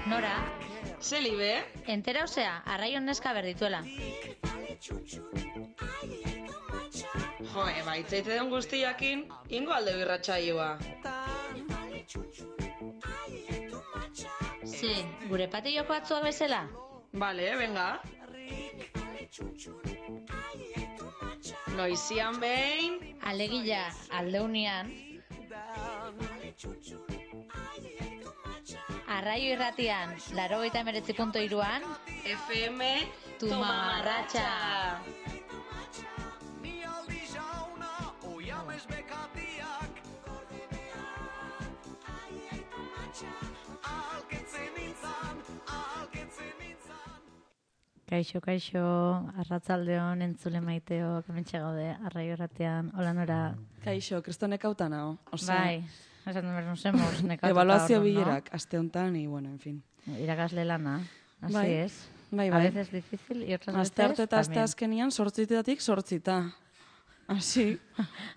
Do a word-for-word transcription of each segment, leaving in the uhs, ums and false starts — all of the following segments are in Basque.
Nora, Zelibe? entera osea, arraion neska berdituela. Jo, eba, itzaite den guztiakin, ingo alde birratxaioa. Ze, gure patilloko atzua bezala? Bale, venga. Noizian behin... Alegila, aldeunian. Arraio irratian, laurogeita hemeretzi puntu hiruan, F M Tu mamarratxa. Kaixo, kaixo, arratzaldeon entzule maiteok, hementxe gaude, arraio irratian, hola Nora. Kaixo, kristo nekauta nago. Bai, esan duen nos hemos nekatuta. Evaluazio orduan, bilerak, aste honetan, y bueno, en fin. ¿no? Irakasle lana, así Bai. es. Bai, A bai. veces difícil y otras Aste arte veces eta aste también. azkenian, sortzitatik sortzita. Así,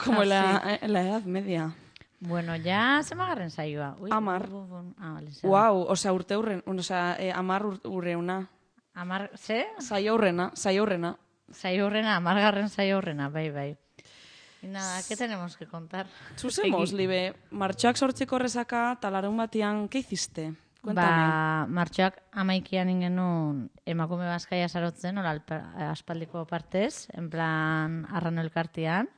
como la, la edad media. Bueno, ya se me agarren saioa. Uy, Amar. bu, bu, bu. Ah, vale, se Wow, osea, urte urren, osea, eh, amar ur- urreuna. Amar, ze? Saio urrena, saio urrena. Saio horrena, amargarren saio horrena, bai, bai. Y nada, ¿qué tenemos que contar? Zuzemos, Egi- libe, martxoak sortziko rezaka, talarun batian, ¿qué hiciste? Cuéntame. Ba, martxoak amaikian ingenun emakume bazkaia sarotzen, hola alpa- aspaldiko partez, en plan arrano elkartian,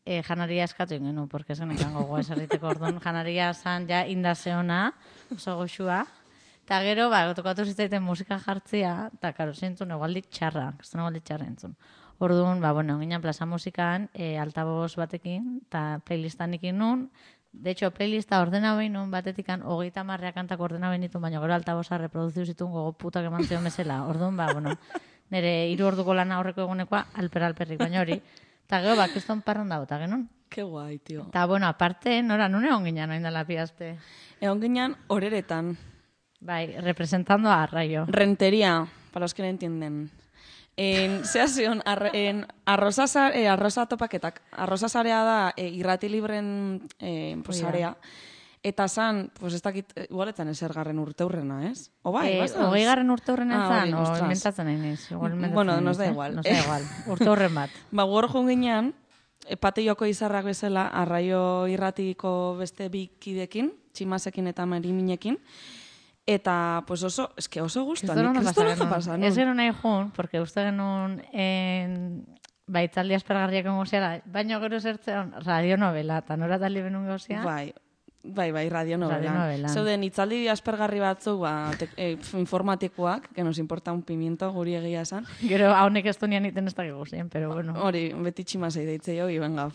e, janaria eskatu ingenu, porque ez genekan gogoa eserriteko orduan, janaria zan ja indazeona, oso goxua, eta gero, ba, tokatu zitzaiten musika jartzia, eta karo, zentzun egualdik txarra, kriston egualdik txarra entzun. Orduan, ba, bueno, ginen plaza musikan, e, altaboz batekin, eta playlistan ikin nun. De hecho, playlista ordena behin nun batetikan, hogeita marrea kantak ordena behin ditun, baina gero altaboza reproduziu zituen gogo putak eman zion bezala. Orduan, ba, bueno, nire hiru orduko lana aurreko egunekoa alper-alperrik, baina hori. Eta gero, ba, kriston parran dago, eta genuen. Qué guai, tio. Eta, bueno, aparte, nora, nun egon ginen oin dela piazte. Egon ginen horeretan. Bai, representando a Arraio. Rentería, para los que no entienden. En, zea zion, ar, en, arroza, za- eh, arroza topaketak. Arroza zarea da eh, irrati libren eh, pues, Hoi da. zarea. Eta zan, pues ez dakit, eh, igualetan esergarren urte hurrena, ez? O bai, Eh, bazan? hogei garren urte horren Ah, zan, hori, o ostras. inventatzen nahi naiz. Igual inventatzen Bueno, nahi nos da naiz, eh? igual. Nos da igual. Urte horren bat. Ba, gor joan ginean, e, pateioko izarrak bezala, arraio irratiko beste bi kidekin, tximasekin eta mariminekin, eta pues oso, eske oso gustuan, Kriston nik ondo kriston pasa ondo genuen. pasa Ez nun. genuen nahi jun, porque uste genuen en... baitzaldi aspergarriak ongo ziala, baina gero zertzen radionovela, eta nora tali benun gauzia. Bai, bai, bai, radionovelan. Radionovelan. Zeuden hitzaldi aspergarri batzuk, ba, te, eh, informatikoak, que nos importa un pimiento, guri egia esan. Gero haunek ez dunian iten ez dakik guzien, pero bueno. Hori, beti tximasei deitze jo, y venga,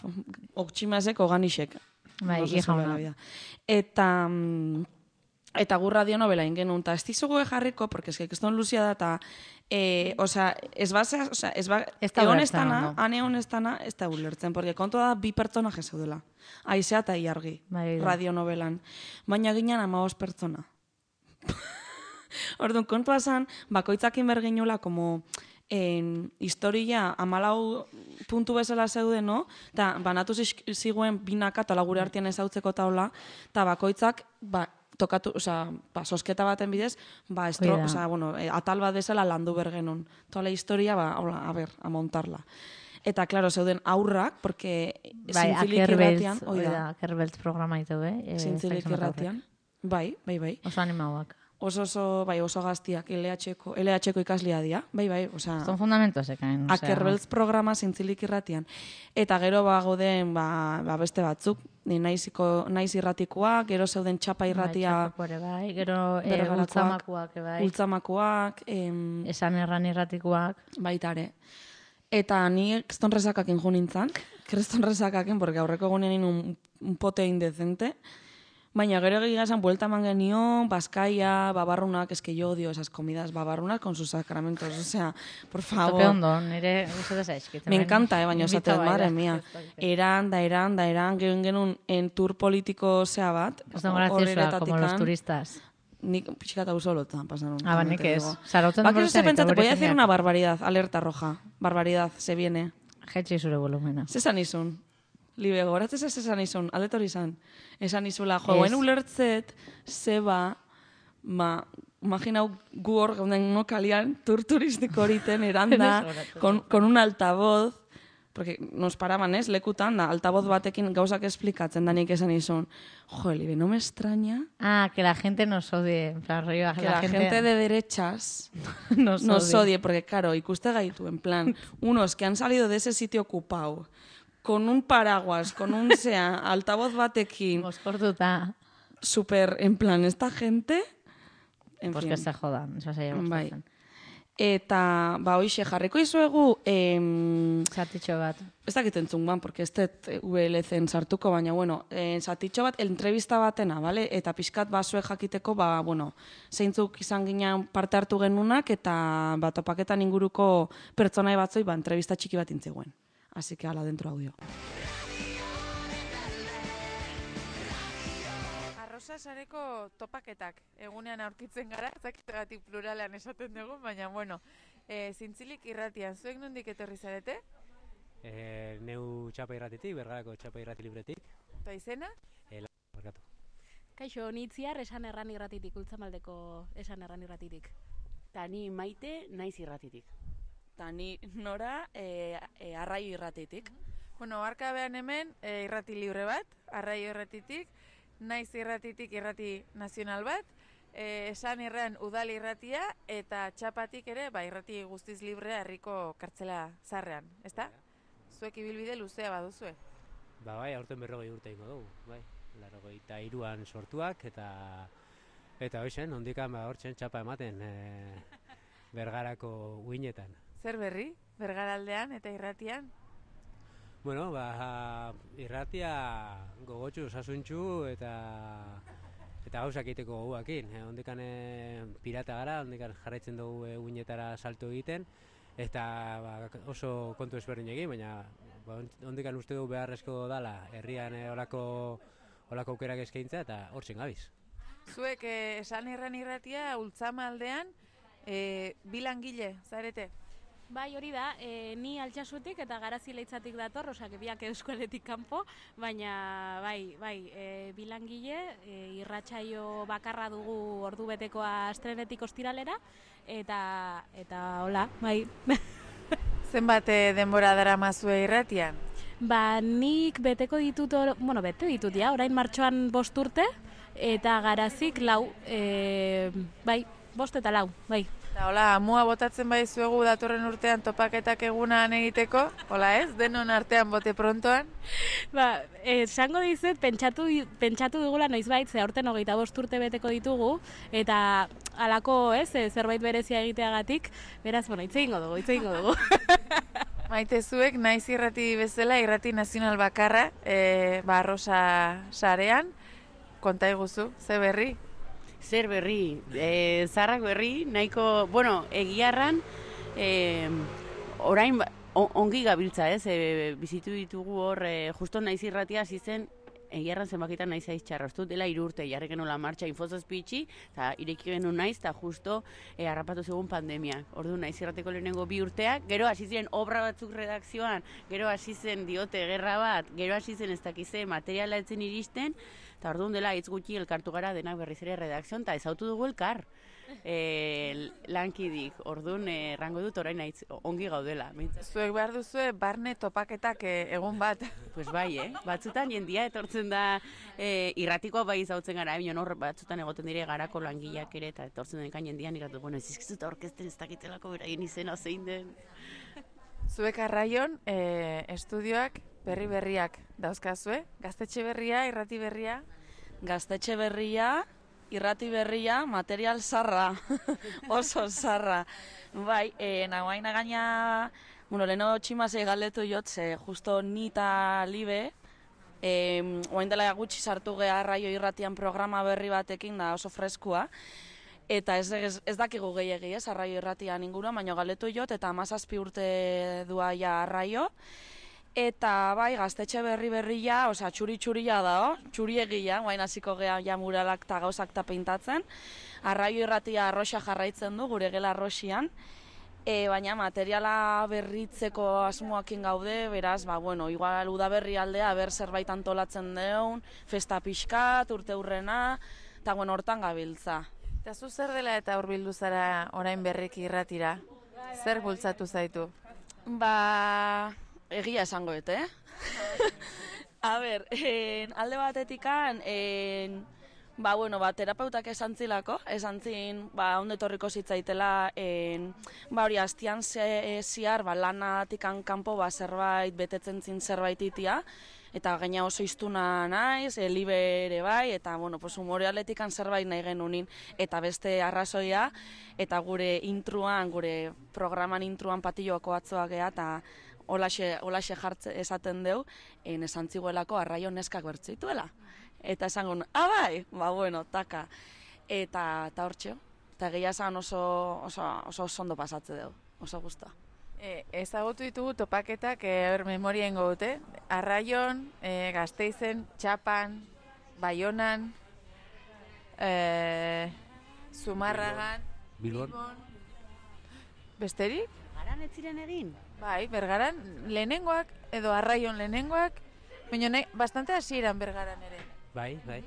ok tximasek, oganisek. Bai, No se hija sabe ona. la vida. Eta... mm, Eta gu radionovela ingenun, eta ez dizugu jarriko, porque es que keston luzia da, eta, eh, osea, ez bazea, osea, ez ba, Ez da egon ulertzen estana, ondo. ane egon estana, ez da ulertzen, porque kontua da bi pertsonaje zeudela. Aizea eta Iargi, Bai, da. radionovelan. Baina ginen amabost pertsona. Orduan, kontua zan, bakoitzakin berginula, como, en historia amalau puntu bezala zeuden, no? Eta banatu ziz- ziguen binaka, eta gure artean ezautzeko taula, eta bakoitzak, ba, tokatu, osea, ba, sosketa baten bidez, ba, estro, Hoi da. osea, bueno, eh, atal bat desela landu bergenon. Toda la historia, ba, hola, a ver, a montarla. Eta, claro, zeuden aurrak, porque Bai, zintzilik Akerbeltz, irratian, hoi hoi da, da, Akerbeltz programa ditu, eh? Eh, zintzilik ez dakit zenbat irratian. Bai, bai, bai. aurrek. Oso animauak. Oso, oso, bai, oso gaztiak, L H-ko, L H-ko ikaslia dia, bai, bai, osea... Son fundamentos ekain. osea. Akerbeltz programa zintzilik irratian. Eta gero bagoden ba, ba beste batzuk, ni naiziko naiz irratikoak, gero zeuden txapa irratia, Bai, txapako ere bai, gero eh, Bergarakoak, ultzamakuak ere bai, ultzamakoak, em, esan erran irratikuak. baita ere. Eta ni kriston resakakin jo nintzan, kriston resakakin, porque aurreko egunean un, un pote indecente, baina gero egia esan buelta eman genion, Bazkaia, babarrunak, eske yo odio esas comidas babarrunas con sus sacramentos, o sea, por favor. Tope ondo, nire guztu zaizkit. Me encanta, eh, baina Invita esaten, bai, madre da, mía. ez dakit. Eran, da eran, da eran, gero genuen en tour politiko zea bat. Ez da graciosa, como los turistas. Nik pixka eta usolotan pasaron. Ah, ba, nik ez. Sarautzen Baki se denboretan pentsate, eta voy a decir gure una barbaridad, alerta roja. Barbaridad, se viene. Jetxi zure volumena. Zesan izun? Libe, goratzez ez esan izun, aletor izan. Esan izula, jo, Ez. guen ulertzet, zeba, ma, imaginau gu hor gauden no kalian, tur turistiko horiten, eranda, con, con un altavoz, porque nos paraban, ez, lekutan, da, altavoz batekin gauzak esplikatzen, da nik esan izun. Jo, Libe, no me extraña Ah, que la gente nos odie. En plan, rollo, que la, la gente... gente de derechas nos, nos odie. odie, porque claro, ikuste gaitu, en plan, unos que han salido de ese sitio ocupado, con un paraguas, con un sea, altavoz batekin. Moskortuta. Super, en plan, esta gente... En pues fin. que se jodan, eso se llama. Bai. Eta, ba, hoixe, jarriko izuegu... Em, Zatitxo bat. Ez dakit entzun ban, porque ez dut U L C-en sartuko, baina, bueno, eh, zatitxo bat, entrevista batena, bale? Eta pixkat basue jakiteko, ba, bueno, zeintzuk izan ginen parte hartu genunak, eta ba, topaketan inguruko pertsonai batzoi, ba, entrevista txiki bat intzeguen. Así que, ala, dentro audio. Arrosa sareko topaketak egunean aurkitzen gara, zakitegatik pluralean esaten dugu, baina, bueno, e, zintzilik irratian, zuek nondik etorri zarete? E, neu txapa irratitik, Bergarako txapa irrati libretik. Eta izena? E, la, barkatu. Kaixo, nitziar esan erran irratitik, ultzamaldeko esan erran irratitik. Ta ni Maite naiz irratitik. Ta ni Nora e, e, Arraio irratitik. Bueno, arkabean hemen e, irrati libre bat, Arraio irratitik, naiz irratitik irrati nazional bat, e, esan irran udal irratia, eta txapatik ere, ba, irrati guztiz librea herriko kartzela zarrean, ezta? Zuek ibilbide luzea baduzue. Ba bai, aurten berrogei urte ingo dugu, bai. Larogei eta hiruan sortuak, eta eta hoxen, ondikan ba hortzen txapa ematen e, Bergarako uinetan. Zer berri, Bergaraldean eta irratian? Bueno, ba, irratia gogotxu, osasuntxu eta eta gauzak egiteko goguakin. E, ondikan e, pirata gara, ondikan jarraitzen dugu e, uinetara salto egiten, eta ba, oso kontu ezberdin egin, baina ba, ondikan uste dugu beharrezko dala herrian e, olako, olako aukerak eskaintza eta hortzen gabiz. Zuek eh, esan irran irratia, Ultzama aldean, eh, bilangile, zarete? Bai, hori da, e, ni Altsasutik eta Garazi Leitzatik dator, osak biak Euskaletik kanpo, baina bai, bai, e, bilangile, e, irratsaio bakarra dugu ordubetekoa astrenetik ostiralera, eta, eta hola, bai. Zenbat eh, denbora daramazue irratian? Ba, nik beteko ditut, or, bueno, bete ditut, ja, orain martxoan bost urte, eta Garazik lau, e, bai, bost eta lau, bai. Eta hola, amua botatzen bai zuegu datorren urtean topaketak egunan egiteko, hola ez, denon artean bote prontoan? Ba, esango dizut, pentsatu, pentsatu dugula noizbait, ze aurten hogeita bost urte beteko ditugu, eta halako, ez, zerbait berezia egiteagatik, beraz, bueno, hitz egingo dugu, hitz egingo dugu. Maite zuek, naiz irrati bezala, irrati nazional bakarra, e, ba, Arrosa sarean, konta iguzu, ze berri? Zer berri, e, zarrak berri, nahiko, bueno, egiarran, e, orain ba, on, ongi gabiltza, ez, e, bizitu ditugu hor, e, justo naiz irratia hasi zen, egiarran zenbakitan naiz aiz txarra, ez dut dela hiru urte, jarri genuen martxa infozazpitxi, eta ireki genuen naiz, eta justo e, harrapatu zegoen pandemia. Ordu naiz irrateko lehenengo bi urteak, gero hasi ziren obra batzuk redakzioan, gero hasi zen diote gerra bat, gero hasi zen ez dakize materiala etzen iristen, eta orduan dela hitz gutxi elkartu gara denak berriz ere redakzion, eta ezautu dugu elkar. E, lankidik, orduan errango dut orain nahiz ongi gaudela. Zuek behar duzue barne topaketak e, egun bat. Pues bai, eh? Batzutan jendia etortzen da e, irratikoa bai zautzen gara, bion hor batzutan egoten dire garako langileak ere, eta etortzen denkan jendian irratu, bueno, ez izkizut orkesten ez dakitelako beraien izena zein den. Zuek Arraion, e, estudioak berri berriak dauzkazue, gaztetxe berria, irrati berria? Gaztetxe berria, irrati berria, material zarra, oso zarra. Bai, e, nagoaina gaina, bueno, leheno tximazei galdetu jotze, justo nita libe, e, oain dela gutxi sartu geha Arraio irratian programa berri batekin da oso freskua, eta ez, ez, ez dakigu gehiagi ez, Arraio irratian inguruan, baina galdetu jot, eta hamazazpi urte dua ja Arraio, eta bai, gaztetxe berri berria, osea, txuri-txuria da, txuriegia, guain hasiko geha ja muralak eta gauzak ta peintatzen. Arraio irratia arroxa jarraitzen du, gure gela arroxian. E, baina materiala berritzeko asmoakin gaude, beraz, ba, bueno, igual udaberri aldea ber zerbait antolatzen deun, festa pixkat, urte hurrena, eta bueno, hortan gabiltza. Eta zu zer dela eta hurbildu zara orain berriki irratira? Zer bultzatu zaitu? Ba, egia esango et, eh? A ber, en, alde batetikan, en, ba, bueno, ba, terapeutak esan zilako, esan zin, ba, onde torriko zitzaitela, en, ba, hori, astian ze, ziar, ba, lanatikan kanpo, ba, zerbait, betetzen zin zerbait itia, eta gaina oso iztuna naiz, e, libe ere bai, eta, bueno, pues, humore atletikan zerbait nahi genunin, eta beste arrazoia, eta gure intruan, gure programan intruan patilloako atzoak geha, eta holaxe, holaxe jartze esaten deu, en, esan ziguelako arraio neskak bertzituela. Eta esango, ah, bai, ba, bueno, taka. Eta, eta hortxeo, eta gehiago esan oso, oso, oso ondo pasatze dugu, oso guztua. E, ezagutu ditugu topaketak e, memorien dute. Arraion, e, Gasteizen, Txapan, Baionan, e, Zumarragan, Bilbon. Besterik? Garan ez ziren egin? Bai, Bergaran lehenengoak, edo Arraion lehenengoak, baina nahi, bastante hasieran Bergaran ere. Bai, bai.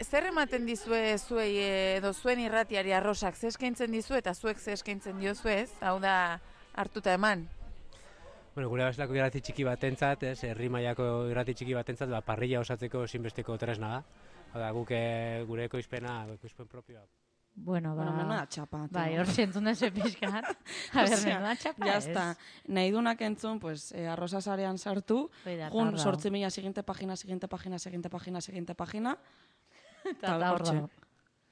Zer ematen dizue zuei edo zuen irratiari arrosak, ze eskaintzen dizu eta zuek ze eskaintzen diozuez, hau da hartuta eman? Bueno, gure bezalako irrati txiki batentzat, ez, herri mailako irrati txiki batentzat, ba, parrilla osatzeko ezinbesteko tresna da. Hau da, guk gure ekoizpena, ekoizpen propioa. Bueno, ba... Bueno, menuda txapa. Bai, hor zientzun dezu pixkat. A ber, menuda txapa ya ez. está. Nahi dunak entzun, pues, eh, arroza sarean sartu, jun, sortzi mila, siguiente pagina, siguiente pagina, siguiente pagina, siguiente pagina, eta hor dago.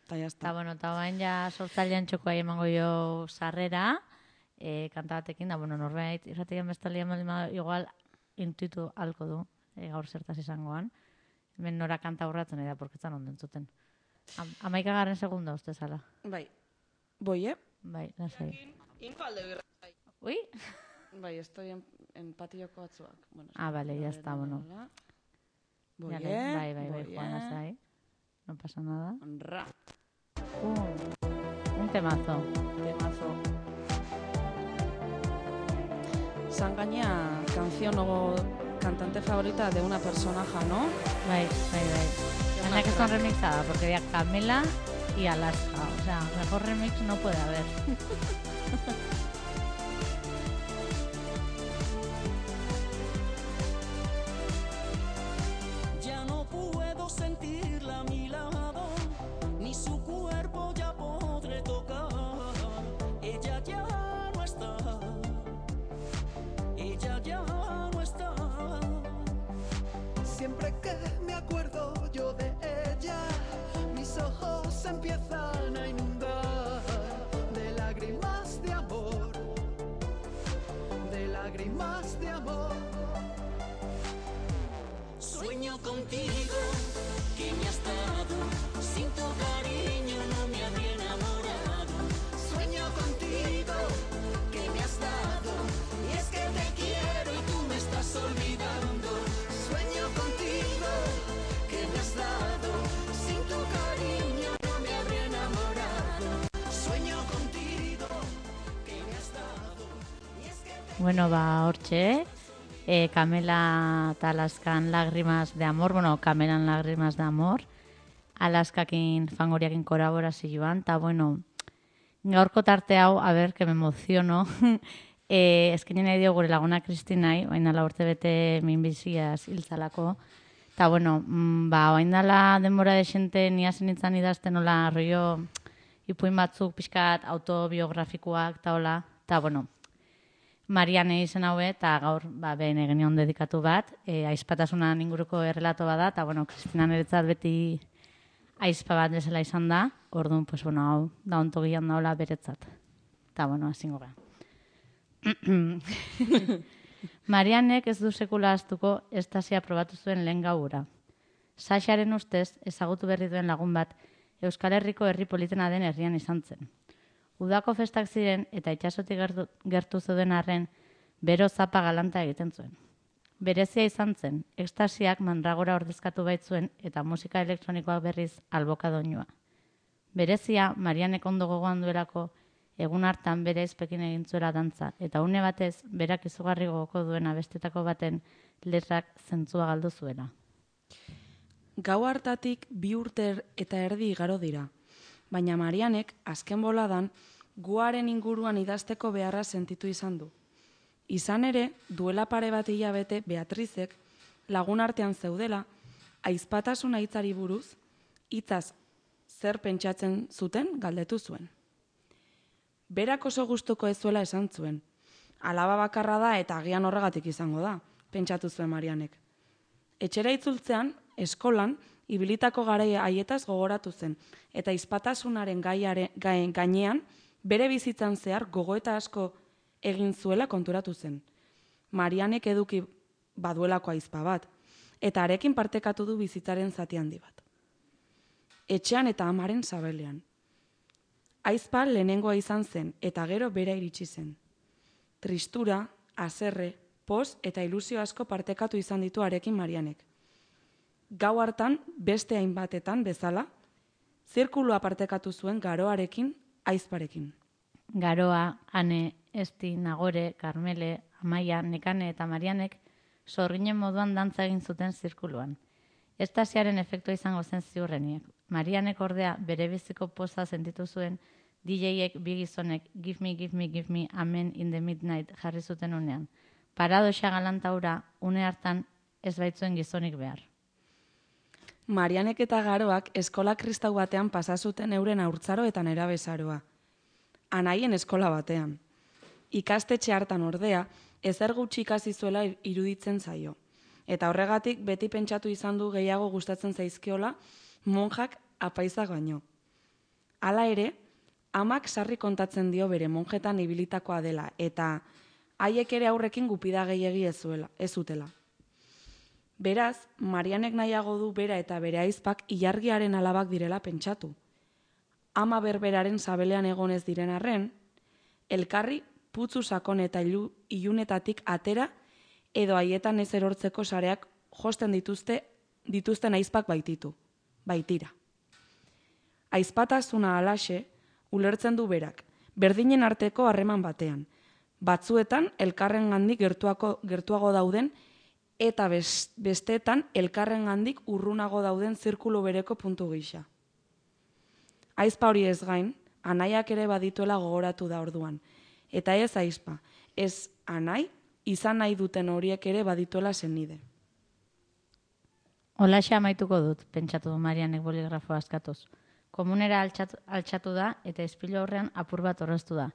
Eta ya está. Eta, bueno, eta bain ja sortzailean txokoa emango jo sarrera, e, kanta batekin, da, bueno, norbait, irratian bestalian baldin igual intuitu halko du, e, gaur zertaz izangoan. Hemen nora kanta urratzen da, porketzan onden zuten. Am, amaikagarren segunda, uste zala. Bai. Boi, eh? Bai, lasai. Infalde birrai. Ui? Bai, estoy en, en patilloko atzuak. Bueno, Ah, vale, ya está, bueno. Boi, Ya, eh? bai, bai, bai, Boi, Juan, eh? lasai. No pasa nada. Ra. Uh, un temazo. Temazo. Sangaña, canción o cantante favorita de una personaje, ¿no? Bai, bai, bai. Anda que son remixada, porque había Camela y Alaska. O sea, mejor remix no puede haber. Ya no puedo sentirla a mi lado, ni su cuerpo ya podré tocar. Ella ya no está, ella ya no está. Siempre que me acuerdo yo de ella, mis ojos se empiezan a inundar de lágrimas de amor, de lágrimas de amor. Sueño contigo, que me has dado, sin tu cariño no me habría enamorado. Sueño contigo, que me has dado, y es que te quiero y tú me estás olvidando. Sueño contigo, que me has dado, sin tu cariño no me habría enamorado. Sueño contigo, que me has dado, y es que te Bueno, ba, hortxe, eh, Camela eta Alaskan Lágrimas de Amor, bueno, Camelan Lágrimas de Amor, Alaskakin fangoriakin kolaborazioan, eta, bueno, gaurko tarte hau, a ber, que me emociono, eh, eskenin nahi dio gure laguna Kristinai, baina la urte bete minbiziaz hiltzalako, eta, bueno, mm, ba, oain dala denbora desente niazen itzan idazten, hola, rollo, ipuin batzuk, pixkat, autobiografikoak, eta hola, eta, bueno, Mariane izen haue, eta gaur, ba, behin egin egon dedikatu bat, e, aizpatasunan inguruko errelato bada, eta, bueno, Kristina niretzat beti aizpa bat bezala izan da, orduan, pues, bueno, hau, da onto gian daula beretzat. Eta, bueno, azingo gara. Marianek ez du sekula astuko estasia probatu zuen lehen gaura. Saxaren ustez, ezagutu berri duen lagun bat, Euskal Herriko herri politena den herrian izan zen. Udako festak ziren eta itxasotik gertu, gertu zeuden arren, bero zapa galanta egiten zuen. Berezia izan zen, ekstasiak mandragora ordezkatu baitzuen eta musika elektronikoak berriz alboka doinua. Berezia, Marianek ondo gogoan duelako, Egun hartan bere izpekin egin zuela dantza, eta une batez, berak izugarri gogoko duen abestetako baten letrak zentzua galdu zuela. Gau hartatik bi urte eta erdi igaro dira, baina Marianek azken boladan guaren inguruan idazteko beharra sentitu izan du. Izan ere, duela pare bat hilabete Beatrizek lagun artean zeudela, aizpatasuna hitzari buruz, hitzaz zer pentsatzen zuten galdetu zuen. Berak oso gustuko ez zuela esan zuen. Alaba bakarra da eta agian horregatik izango da, pentsatu zuen Marianek. Etxera itzultzean, eskolan, ibilitako garai haietaz gogoratu zen, eta aizpatasunaren gaiare, gain, gainean, bere bizitzan zehar gogoeta asko egin zuela konturatu zen. Marianek eduki baduelako aizpa bat, eta harekin partekatu du bizitzaren zati handi bat. Etxean eta amaren sabelean. Aizpa lehenengoa izan zen, eta gero bera iritsi zen. Tristura, haserre, poz eta ilusio asko partekatu izan ditu harekin Marianek. Gau hartan, beste hainbatetan bezala, zirkulua partekatu zuen garoarekin, aizparekin. Garoa, Ane, Esti, Nagore, Karmele, Amaia, Nekane eta Marianek sorginen moduan dantza egin zuten zirkuluan. Estasiaren efektua izango zen ziurreniek. Marianek ordea bere biziko poza sentitu zuen D J-ek bi gizonek Give me, give me, give me, amen in the midnight jarri zuten unean. Paradoxa galantaura une hartan ez baitzuen gizonik behar. Marianek eta Garoak eskola kristau batean pasa zuten euren haurtzaro eta nerabezaroa. Anaien eskola batean. Ikastetxe hartan ordea, ezer gutxi ikasi zuela iruditzen zaio. Eta horregatik beti pentsatu izan du gehiago gustatzen zaizkiola monjak apaizak baino. Hala ere, amak sarri kontatzen dio bere monjetan ibilitakoa dela, eta haiek ere aurrekin gupida gehiegi ez zuela, ez zutela. Beraz, Marianek nahiago du bera eta bere aizpak ilargiaren alabak direla pentsatu. Ama berberaren sabelean egonez diren arren, elkarri putzu sakon eta ilu, ilunetatik atera edo haietan ez erortzeko sareak josten dituzte, dituzten aizpak baititu, baitira. Aizpatasuna alaxe, ulertzen du berak, berdinen arteko harreman batean, batzuetan elkarrengandik gertuako, gertuago dauden eta besteetan elkarrengandik urrunago dauden zirkulu bereko puntu gisa. Aizpa hori ez gain, anaiak ere badituela gogoratu da orduan, eta ez aizpa, ez anai, izan nahi duten horiek ere badituela senide. Holaxe amaituko dut, pentsatu du Marianek boligrafoa askatuz. Komunera altxatu, altxatu da eta ispilu aurrean apur bat orreztu da.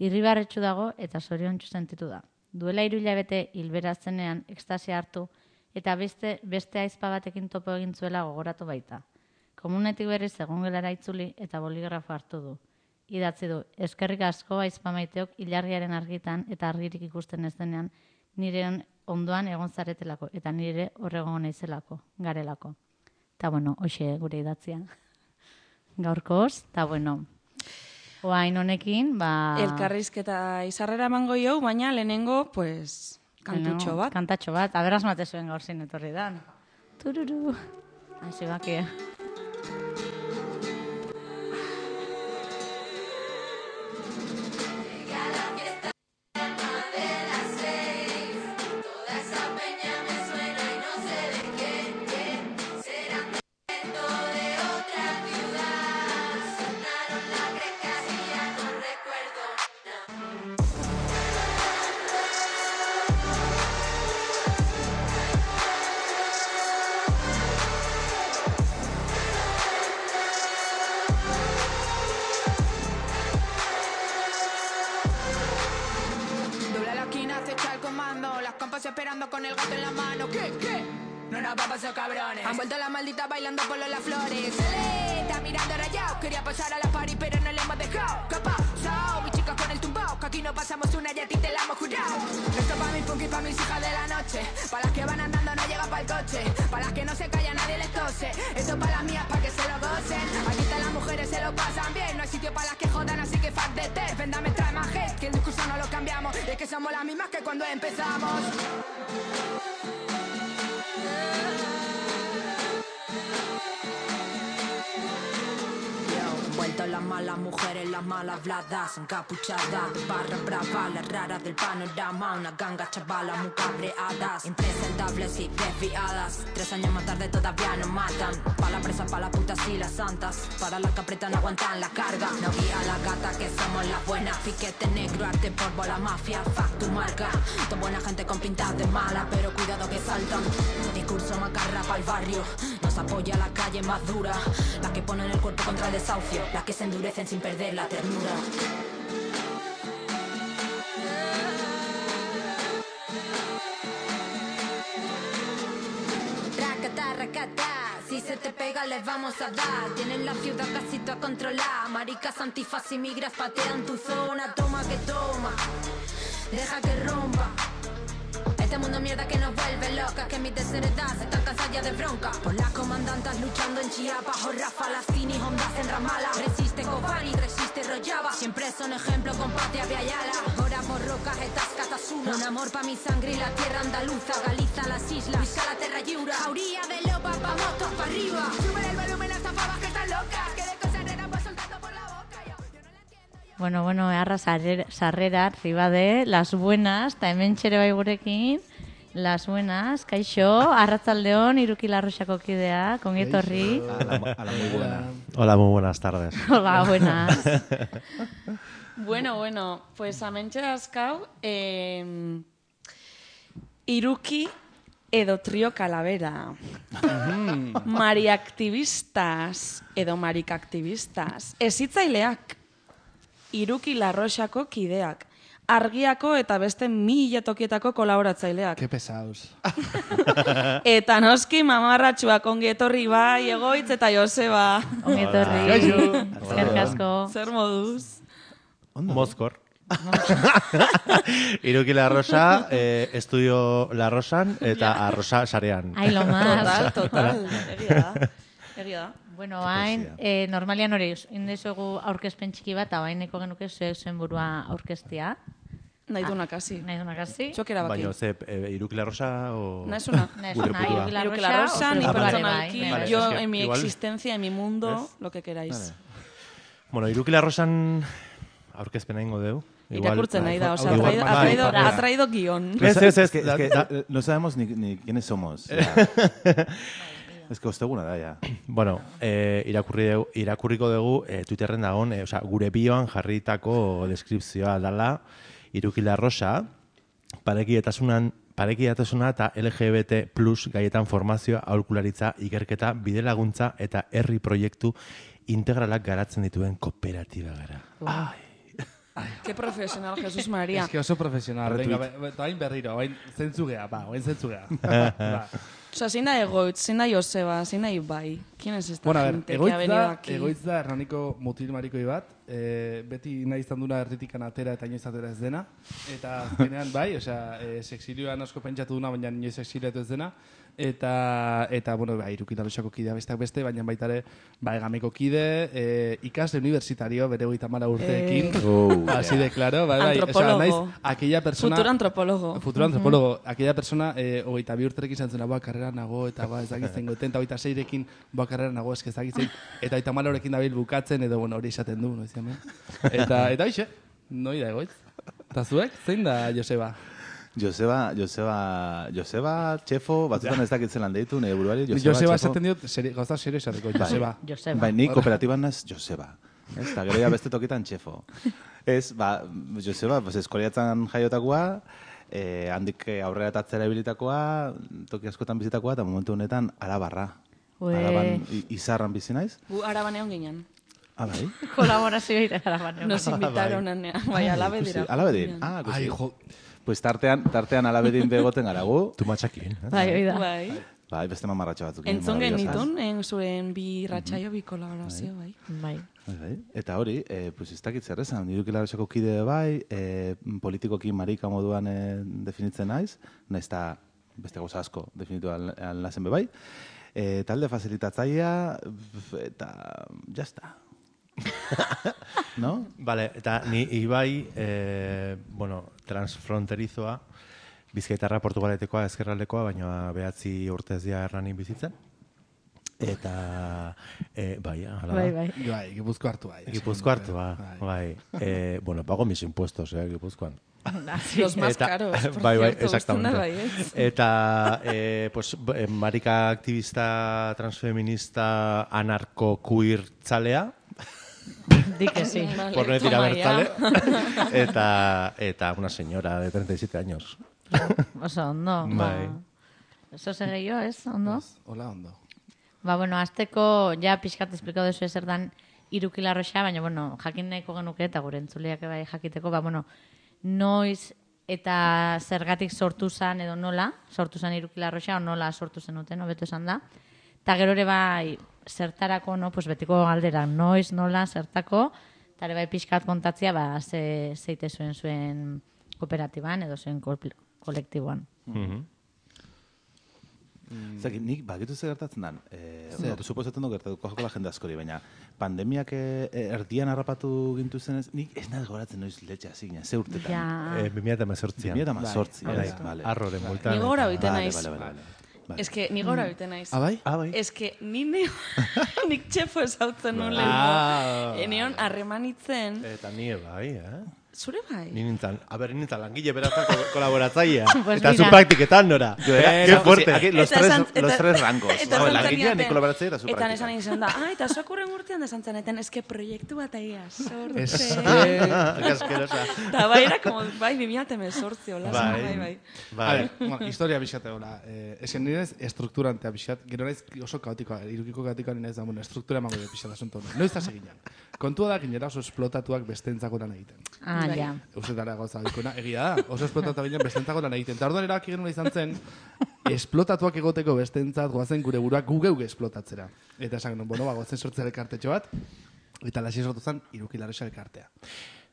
Irribarretsu dago eta zoriontsu sentitu da. Duela hiru hilabete hilbera zenean ekstasia hartu eta beste, beste aizpa batekin topo egin zuela gogoratu baita. Komunetik berriz egongelara itzuli eta boligrafo hartu du. Idatzi du, eskerrik asko aizpa maiteok ilargiaren argitan eta argirik ikusten ez denean nire ondoan egon zaretelako eta nire horregon naizelako, garelako. Eta bueno, hoxe gure idatzia. Gaurkoz, eta bueno, oain honekin, ba... Elkarrizketa izarrera emango jau, baina lehenengo, pues, kantutxo bat. Bueno, kantatxo bat, aberaz mate zuen gaur zin etorri dan. Tururu. Hasi bakia. Esperando con el gato en la mano, ¿qué, qué? No nos vamos a cabrones. Han vuelto las malditas bailando por los las flores. Se está mirando rayado. Quería pasar a la party pero no le hemos dejado. ¿Qué pasó? Mis chicas con el tumbao. Que aquí no pasamos una y a ti te la hemos jurado. Esto pa' mis punky, pa' mis hijas de la noche. Pa' las que van andando no llega pa' el coche. Pa' las que no se callan nadie les tose. Esto pa' las mías pa' que se lo gocen. Aquí están las mujeres se lo pasan bien. No hay sitio pa' las que jodan así que fuck de ter. Véndame trae más hate. Que el discurso no lo cambiamos. Y es que somos las mismas que cuando empezamos. Vuelto las malas mujeres, las malas habladas, encapuchadas, de barra brava, las raras del panorama, una ganga chavala muy cabreadas, impresentables y desviadas. Tres años más tarde todavía nos matan. Pa' la presa, pa' las putas y las santas. Para las que apretan no aguantan la carga. No guía la gata que somos las buenas. Piquete negro, arte por la mafia, fuck tu marca. Toda buena gente con pintas de mala, pero cuidado que saltan. Discurso macarra pa'l barrio. Nos apoya la calle más dura. Las que ponen el cuerpo contra el desahucio. Las que se endurecen sin perder la ternura. Racata, racata. Si se te pega les vamos a dar. Tienen la ciudad casi toda controlada. Maricas, antifas y migras patean tu zona. Toma que toma, deja que rompa. Este mundo mierda que nos vuelve locas. Que mis desheredadas están cansadas ya de bronca. Por las comandantas luchando en Chiapas. Jorra, Falastini, Hondas en Ramala. Resiste Kobani, resiste Rojava. Siempre son ejemplos con Patria Viayala. Ahora por rocas estas catasuna. Un amor pa' mi sangre y la tierra andaluza. Galiza, las islas, Luisa la terra lliura. Jauría de lopa, vamos todos pa' arriba. Sube el volumen a estas pavas que están locas. Que de cosas raras va soltando por la boca. Yo no la entiendo. Bueno, bueno, eharra sarrera, arriba de Las Buenas, eta hemen txere bai gurekin, Las Buenas, kaixo, arratzaldeon, Iruki Larroxako kidea, kongietorri. A la muy buena. Hola, muy buenas tardes. Hola, buenas. Bueno, bueno, pues amentxe dazkau, eh, Iruki edo trio Calavera. Mariaktivistas edo marikaktivistas. Ezitzaileak. Iruki Larroxako kideak. Argiako eta beste mila tokietako kolaboratzaileak. Ke pesados. Eta noski mamarratxuak ongi etorri bai, Egoitz eta Joseba. Ongi etorri. Eskerrik asko. Zer moduz? Mozkor. Iruki Larrosa, eh, estudio Larrosan eta Arrosa sarean. Ai, lo más. Total, total. Egia da. Egia da. Bueno, hain, eh, normalian hori, indezugu aurkezpen txiki bat, hau haineko genuke zuek zuen burua aurkeztia. Nahi dunak hasi. Nahi dunak hasi. Txok erabaki. Baina, ze, eh, Iruki Larrosa o... Naizuna. Naizuna, Iruki Iruki Larrosa, Larrosa, ni o personalki, Vale, yo es que en mi igual- existencia, en mi mundo, lo que queráis. Vale. Bueno, Iruki Larrosan aurkezpena ingo deu. Irakurtzen nahi da, o sea, ha igual- traído, ha bai, traído, bai. ha traído guión. Ez, ez, ez, que, es que- da- no sabemos ni, ni quiénes somos. Ya. Es que osteguna da, ya. Bueno, eh, irakurri deu, irakurriko dugu eh, Twitterren dagoen, eh, osea, gure bioan jarritako deskripzioa dala Iruki Larrosa, parekietasunan parekidetasuna eta L G B T plus gaietan formazioa, aholkularitza, ikerketa, bidelaguntza eta herri proiektu integralak garatzen dituen kooperatiba gara. Ai. Qué profesional, Jesús María. Es que oso profesional. Retweet. Venga, ba- bain berriro, bain zentzugea, ba, bain zentzugea. Ba. O sea, zein da Egoitz, zein da Joseba, zein da Ibai. ¿Quién es esta Bueno, a ver, gente que ha egoitz venido da, aquí? egoitz da erraniko mutil marikoi bat, e, beti nahi izan duna erritikan atera eta inoiz atera ez dena, eta azkenean bai, osea, e, sexilioan asko pentsatu duna, baina inoiz sexiliatu ez dena, eta, eta bueno, bai, Iruki Larroxako kidea besteak beste, baina baita ere, bai, gameko kide, e, ikasle universitario, bere hogeita hamar urteekin, Eh. oh, así de claro, bai, bai, Antropólogo. osea, naiz, aquella persona... Futuro antropólogo. Futuro antropólogo, aquella persona, eh, hogeita bi urterekin izan zena, boa, karrera nago, eta ba, ez dakitzen goten, eta hogeita seirekin, boa, karrera nago, eske ez dakitzen, eta hogeita malorekin dabil bukatzen, edo, bueno, hori esaten du, noiz hemen. Eta, eta hoxe, noi da egoitz. Eta zuek, zein da, Joseba? Joseba, Joseba, Joseba, txefo, batzutan ez dakitzen lan deitu, nire buruari, Joseba, Joseba txefo. esaten diot, seri, gauza serio esateko, Joseba. Joseba. Bai, ni kooperatiban naz Joseba. Ez, eta gero ja beste tokitan txefo. Ez, ba, Joseba, pues, eskoriatzen jaiotakoa, eh, handik aurrera tatzera ibilitakoa, toki askotan bizitakoa, eta momentu honetan Arabarra. Ue. Araban i- izarran bizi naiz. Gu araban egon ginen. Ah, bai? Kolaborazio ira gara Nos invitaron a bai, alabe dira. Ikusi, Alabedin. Ah, ikusi. Ai, jo, Pues tartean, tartean alabedin begoten garagu. Tu matxakin. Bai, hoi da. Bai. Bai, beste mamarratxo batzuk. Entzun maravillosas. genitun, en zuen bi ratxaio, bi kolaborazio, bai. Bai. Bai, bai. Eta hori, eh, pues ez dakit zer esan, Iruki Larroxako kide bai, eh, politikoki marika moduan eh, definitzen naiz, nahiz eta beste gauza asko definitu alnazen be bai. Eh, talde facilitatzailea, eta jazta. No? Vale, eta ni Ibai, eh, bueno, transfronterizoa, Bizkaitarra Portugaletekoa, ezkerraldekoa, baina behatzi urtez dia erranin bizitzen. Eta, e, bai, ala da. Bai, bai. Bai, Gipuzko hartu bai. Gipuzko hartu, bai. E, bueno, pago mis impuestos, eh, Gipuzkoan. Los más caros, por bai, bai, cierto, exactamente. bai, ez? Eta, eh, pues, eh, marika aktivista, transfeminista, anarko-queer tzalea. Di que sí. Por no decir abertzale. eta, eta una señora de treinta y siete años. Oso, ondo. Bai. Eso se gehiago, ez? Ondo? Hola, ondo. Ba, bueno, azteko, ja pixkat esplikau dezu ezer dan irukilarroxa, baina, bueno, jakin nahiko genuke eta gure entzuleak bai jakiteko, ba, bueno, noiz eta zergatik sortu zan edo nola, sortu zan irukilarroxa, o nola sortu zenuten, hobeto esan da. Eta gero ere bai, zertarako, no, pues betiko galdera, noiz, nola, zertako, eta ere bai pixkat kontatzia, ba, ze, zeite zuen zuen kooperatiban edo zuen kolektiboan. Mhm. Mm. Zaki, nik bakitu ze gertatzen dan. Eh, no, suposatzen du gertatuko jokola jende askori, baina pandemiak eh, erdian harrapatu gintu zenez, nik ez naz goratzen noiz letxe hasi ginen, ze urtetan. Ja. Eh, bi mila hemezortzian. bi mila hemezortzi, Bai, vale. Arroren bueltan. Ni gora biten naiz. Vale, vale, vale. Ez que ni gora biten naiz. Ah, bai? Ah, bai. Ez que ni neo, nik txefo esautzen nuen Ah. lehenko. Eneon harremanitzen. Eta nie bai, eh? Zure bai? Ni nintzen, a ber, nintzen langile berazako kolaboratzaia. Pues eta mira. zu praktiketan, nora. Yo era, Qué fuerte. Aquí los Eta tres, esan- los eta- tres rangos. eta No, esan langilea, zeniaten- ni kolaboratzaia eta zu Eta praktikan. esan izan da, ah, eta zuak urren urtean desan zeneten, eske proiektu bat aia, sorte. Eske... Qué asquerosa. Eta bai, era como, bai, bi mila hemezortzi, hola, Bai. bai, bai. A Bai. ver, bueno, historia bixate gola. Eh, Ezen nirez, estrukturantea bixat. Gero naiz oso kaotikoa, irukiko kaotikoa nirez da, bueno, estruktura emango dut bixat asunto. Noiz da seginan. Kontua da, kinera oso esplotatuak bestentzako lan egiten. Ah, Bai. ja. Uste dara gauza dikona, egia da, oso esplotatu ginen bestentzako lan egiten. Eta orduan erabaki genuen izan zen, esplotatuak egoteko bestentzat goazen gure buruak gu geuk esplotatzera. Eta esan genuen, bueno, ba, goazen sortzea elkartetxo bat, eta lasi sortu zen irukilarroxa elkartea.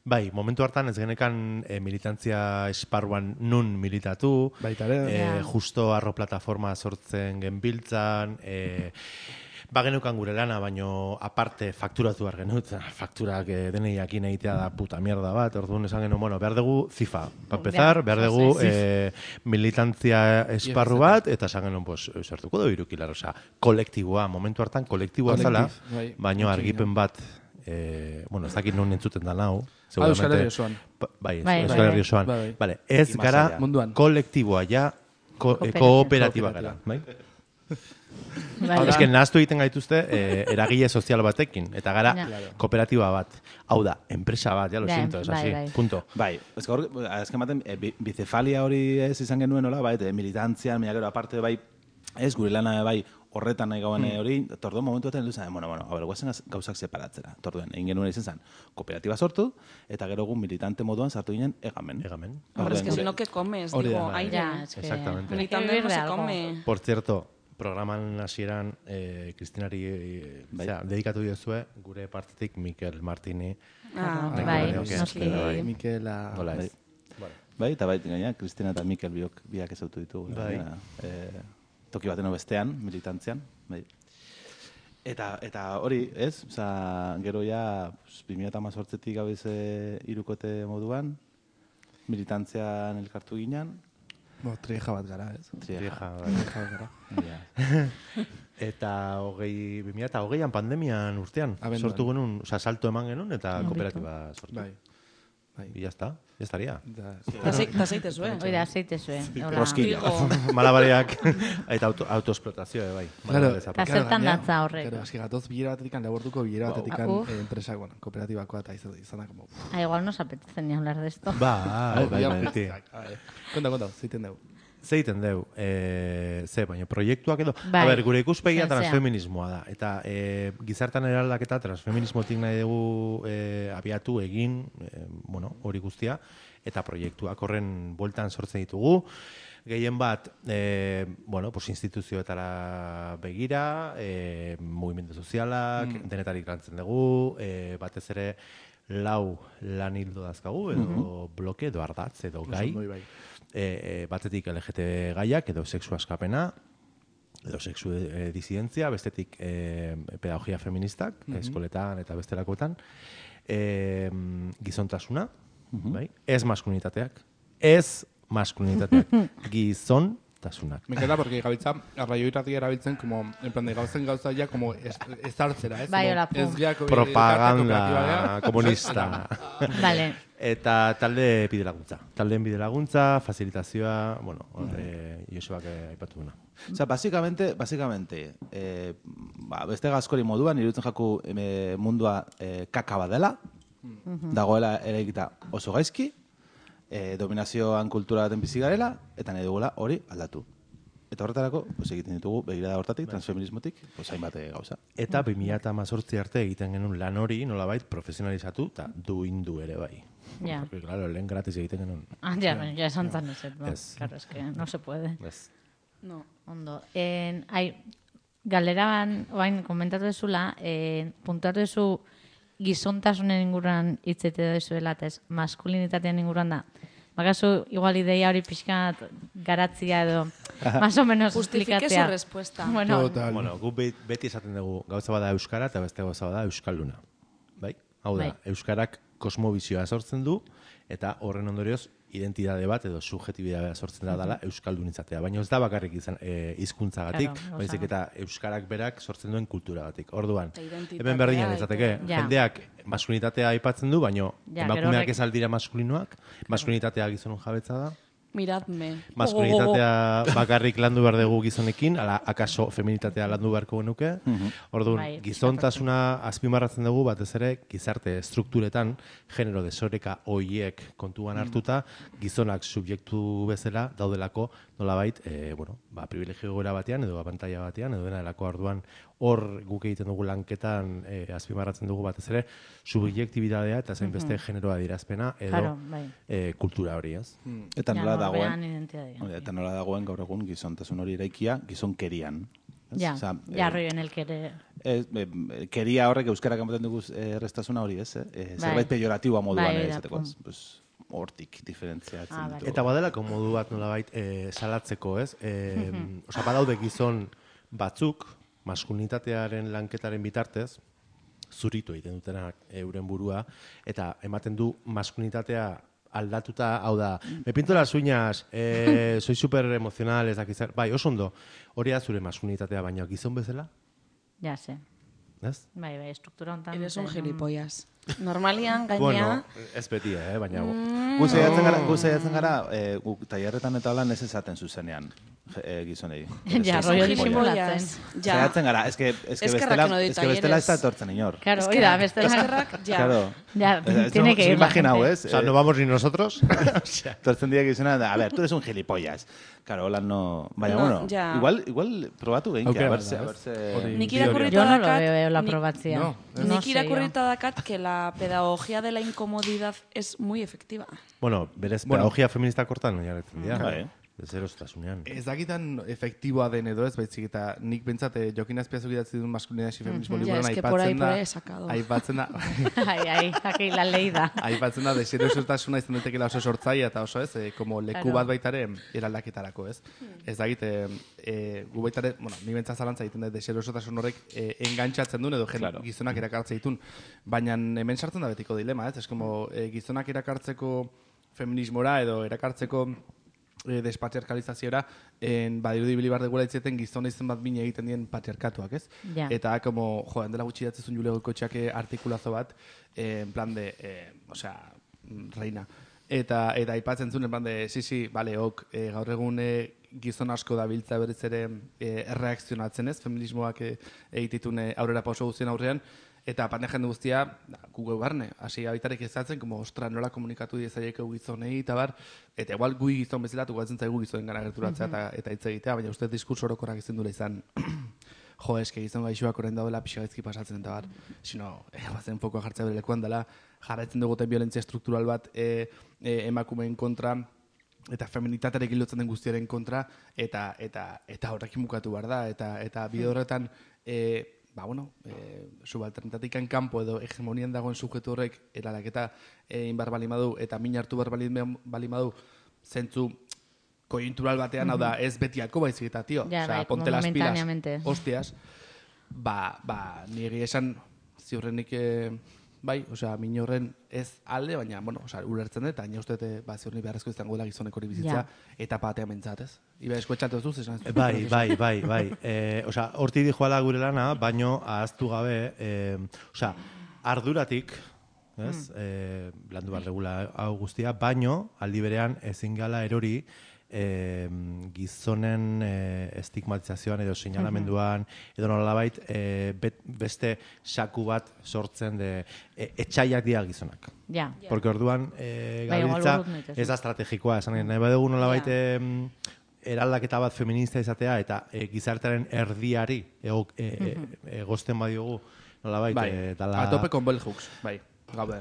Bai, momentu hartan ez genekan e, militantzia esparruan nun militatu, Baita ere. e, Ja. justo arro plataforma sortzen genbiltzan, e, bagenukan gure lana, baino aparte fakturatu behar genut, fakturak e, denei jakin egitea da puta mierda bat, orduan esan genuen, bueno, behar dugu zifa, pa empezar, behar dugu e, militantzia esparru bat, eta esan genuen, pues, sartuko dugu irukilarroxa, kolektiboa, momentu hartan kolektiboa zala, Kolektif, bai. baino Utzi argipen ginen. bat, e, bueno, ez dakit non entzuten da nau, Ah, Euskal Herri osoan. Pa- Bai, Bai, Euskal bai, Herri osoan. bai, bai. Vale, ez Y más gara allá. Munduan. kolektiboa ja, ko, eh, Kooperatiba. kooperatiba gara. Bai? Bai. Ez que nahaztu egiten gaituzte eh, eragile sozial batekin, eta gara Ja. kooperatiba bat. Hau da, enpresa bat, ya lo Ja, siento, es bai, así, bai. punto. Bai, ez gaur, azken baten, e, bi- bicefalia hori ez izan genuen nola, bai, eta militantzian, mila gero aparte bai, ez gure lana bai, horretan nahi gauen Hmm. hori, torduen momentu baten heldu zen, bueno, bueno, a ber, guazen gaz- gauzak separatzera. Torduen, egin genuen izan zen, kooperatiba sortu, eta gero gu militante moduan sartu ginen egamen. Egamen. Hombre, es que Gure- si no, ¿qué comes? Hori da, Digo, bai. aire. Ja, es que... Exactamente. Militante Hay que no vivir de se algo. come. Por cierto, programan hasieran eh, Kristinari eh, Bai. osea, dedikatu diozue gure partetik Mikel Martini. Ah, Bai, bai, bai, noski. bai. Mikela... Nola Bai. ez. Bai, eta bai, gaina, Kristina eta Mikel biok, biak ezautu ditugu. Bai. gainera, eh, toki baten bestean, militantzian. Bai. Eta, eta hori, ez? Osa, gero ja, pues, bi mila hemezortzitik gabiz e, irukote moduan, militantzian elkartu ginen. Bo, trieja bat gara, ez? Trieja, bai. Trieja bat gara. Ja. Eta hogei, bi mila eta hogeian pandemian urtean, Abenduan. sortu genuen, oza, salto eman genuen, eta Ongito. kooperatiba sortu. Bai. Bai. Y ya está, ya estaría. Da, Eta zeite zuen. Hoi da, zeite zuen. Hola. Rosquilla. Trigo. Malabariak, eta auto, autoesplotazioa, bai. Claro, Malabares Eta aparte. zertan gainera, datza horrek? Claro, eski gatoz bilera batetikan, labortuko bilera Wow. batetikan Ah, uf. eh, enpresak, bueno, kooperatibakoa eta izan, izan da, como... Ah, igual nos apetece ni hablar de esto. Bai, bai, bai, beti. Konta, konta, zeiten dugu. Zeiten deu, e, ze, baina proiektuak edo... Bai. A ber, gure ikuspegia Zer, zea. transfeminismoa da. Eta e, gizartan eraldaketa transfeminismotik nahi dugu e, abiatu egin, e, bueno, hori guztia, eta proiektuak horren bueltan sortzen ditugu. Gehien bat, e, bueno, pues instituzioetara begira, e, mugimendu sozialak, Mm. denetarik lantzen dugu, e, batez ere lau lan hildo dazkagu, edo bloke, edo ardatz, edo gai. Oso ondo, bai. E, e, batetik L G T B gaiak, edo sexu askapena, edo sexu e, disidentzia, bestetik e, pedagogia feministak, eskoletan eta bestelakoetan, e, gizontasuna, bai? Ez maskulinitateak, ez maskulinitateak, gizon tasunak. Me encanta porque gabiltza arraio irratia erabiltzen como en plan de gauzen gauza ya como ez ez hartzera, ez? Bai, Como hola, pum. ez geako- Propaganda komunista. Vale. Eta talde bide laguntza. Taldeen bide laguntza, facilitazioa, bueno, eh, Josebak eh, aipatu duna. Osea, básicamente, básicamente, eh, ba, beste gazkori moduan, irutzen jaku eh, mundua eh, kaka bat dela, dagoela eraikita oso gaizki, eh, dominazioan kultura baten bizi garela, eta nahi dugula hori aldatu. Eta horretarako, pues, egiten ditugu begirada hortatik, transfeminismotik, pues, hainbat eh, gauza. Eta bi mila hemezortzi arte egiten genuen lan hori nolabait profesionalizatu eta duindu ere bai. Ja. Porque, claro, lehen gratis egiten genuen. Ah, ya, bueno, ya esan zan ez, no? Ez. Claro, es que no se puede. Ez. No. Ondo. En, ai, galderaban, oain, komentatu dezula, en, puntuatu dezu gizontasunen inguruan hitzete dezuela, eta ez maskulinitatean inguruan da. Bakazu, igual ideia hori pixkat garatzia edo, más o menos Justifique explikatzea. su respuesta. Bueno, Total. Bueno, gu be- beti esaten dugu gauza bada euskara eta beste gauza bada euskalduna. Bai? Hau da, Bai. euskarak kosmobizioa sortzen du eta horren ondorioz identitate bat edo subjetibitatea sortzen da dela euskaldun izatea. Baina ez da bakarrik izan e, hizkuntzagatik, Claro, baizik oso. eta euskarak berak sortzen duen kulturagatik. Orduan, Eta identitatea hemen berdinan eta- izateke, Ja. jendeak maskulinitatea aipatzen du, baino Ja, gero emakumeak horrek- ez aldira maskulinoak, maskulinitatea gizonon jabetza da. Miradme. Maskulinitatea bakarrik landu behar dugu gizonekin, ala akaso feminitatea landu beharko genuke. Orduan, Bai, gizontasuna azpimarratzen dugu batez ere gizarte estrukturetan genero desoreka hoiek kontuan hartuta gizonak subjektu bezala daudelako nolabait, eh, bueno, ba privilegio gora batean edo abantaila batean edo dena delako. Orduan hor guk egiten dugu lanketan eh, azpimarratzen dugu batez ere subjektibitatea eta zein beste generoa adierazpena edo Claro, bai. eh, kultura hori, ez? Eta Ja, nola norberan dagoen, identitatea. hori da, eta nola dagoen gaur egun gizontasun hori eraikia gizonkerian. Ez? Ja, Osea, ja, eh, rollo en el que ere... Ez, e, keria horrek euskarak ematen dugu eh, errestasuna hori, ez? Eh? E, Bai. zerbait pejoratiboa moduan Bai, ere da, esateko, pum. ez? Pues, hortik diferentziatzen Ah, ditu. vale. Eta badelako modu bat nolabait e, salatzeko, ez? E, Osa, badaude gizon batzuk, maskulinitatearen lanketaren bitartez, zuritu egiten dutenak euren burua, eta ematen du maskulinitatea aldatuta, hau da, me pinto las uñas, eh, soy super emocional, ez dakizar, bai, oso ondo, hori da zure maskulinitatea, baina gizon bezala, Ja, se. ez? Bai, bai, estruktura hontan... Eres un zen- gilipollas. Normalian, gainea... Bueno, ez beti, eh, baina... Gu saiatzen gara, gu saiatzen gara, e, gu tailerretan eta holan ez esaten zuzenean e, gizonei. Ja, Eres un rollo gilipollas. disimulatzen. Ja. Saiatzen gara, eske, eske Eskerrak bestela, no dit eske bestela ez da talleres. etortzen inor. Claro, hori da, beste Eskerrak, ja. Claro. Ya, Eh, tiene no, que se ir la imagina, gente. ¿es? O sea, no vamos ni nosotros. Tortzen dira gizona, a ver, tú eres un gilipollas. Claro, hola no... Baina, No, bueno, ja. igual, igual probatu gehin, Aukera a ver, bat se, da, a ver, ez? se... Hori. Nik Teoria. irakurrita Yo no lo dakat- veo la ni- aprobatzia. No, No Nik sé irakurrita dakat que la pedagogía de la incomodidad es muy efectiva. Bueno, berez, Bueno. pedagogia feministak hortan oinarritzen dira. Bai. Deserostasunean. Ez dakitan efektiboa den edo ez, baizik eta nik bentsat eh, Jokin Azpiazuk idatzi duen maskulinidad feminismo Ja, liburuan es que por ahí, aipatzen por da... ahí he sacado. Aipatzen da... Ai, ai, aquí la leída. Aipatzen da, deserosotasuna izan daitekeela oso sortzaia eta oso ez, eh, como leku Claro. bat baitare eraldaketarako, ez? Ez dakit, eh, eh, gu baitare, bueno, ni bentsat zalantza egiten da, deserosotasun horrek eh, engantxatzen duen edo jen, Claro. gizonak erakartze ditun. Baina hemen sartzen da betiko dilema, ez? Ez como eh, gizonak erakartzeko feminismora edo erakartzeko e, despatriarkalizaziora en badirudi bili bar degula itzeten gizona izen bat bine egiten dien patriarkatuak, ez? Ja. Eta como, jo, handela gutxi datzezun Jule Goikotxeak artikulazo bat, eh, en plan de, eh, o sea, reina. Eta eta aipatzen zuen en plan de, sí, sí, vale, ok, eh, gaur egun eh, gizon asko dabiltza berriz ere eh, erreakzionatzen, ez? Feminismoak eh, egititun eh, aurrera pauso guztien aurrean, eta pande jende guztia, gu barne, hasi abitarek ezatzen, como, ostra, nola komunikatu diezaieko gizonei, eta bar, eta igual gui gizon bezala, tukatzen zaigu gizonen gara gerturatzea, eta, eta hitz egitea, baina uste diskurso orokorrak izan dula izan, jo, eske gizon gaixoak orain daudela pixa gaizki pasatzen, eta bar, sino, eh, bazen fokoa jartzea bere lekuan dela, jarraitzen duguten violentzia estruktural bat e, e, emakumeen kontra, eta feminitatearekin lotzen den guztiaren kontra, eta eta eta horrekin bukatu behar da, eta eta bide horretan, e, ba, bueno, e, subalternetatikan kanpo edo hegemonian dagoen sujetu horrek eralaketa egin behar balimadu, eta min hartu behar balim- balimadu, zentzu koiuntural batean, hau da, ez betiako baizik eta, tio, Ja, osea, bai, como ponte las pilas, momentáneamente. hostias, ba, ba, niri esan, ziurrenik, e, bai, osea, minorren ez alde, baina, bueno, osea, ulertzen dut, baina uste dut, ba, ziurni beharrezko izango dela gizonek hori bizitza, Ja. etapa batean mentzat, ez? Iba, eskoetxatu ez duz, esan ez? Bai, bai, bai, bai. E, osea, horti dijoala gure lana, baino ahaztu gabe, e, osea, arduratik, ez, mm. e, landu behar regula hau guztia, baino, aldi berean, ezin gala erori, e, gizonen e, estigmatizazioan edo seinalamenduan, edo nolabait e, bet, beste saku bat sortzen de e, etxaiak dira gizonak. Ja. Porque orduan e, Bai, igual gabiltza urrut nahi ez da estrategikoa, esan nahi badugu nolabait Ja. em, eraldaketa bat feminista izatea eta e, gizartearen erdiari ego, e, e, egozten badiogu nolabait Bai, e, dala... a tope con bell hooks, bai, gaude.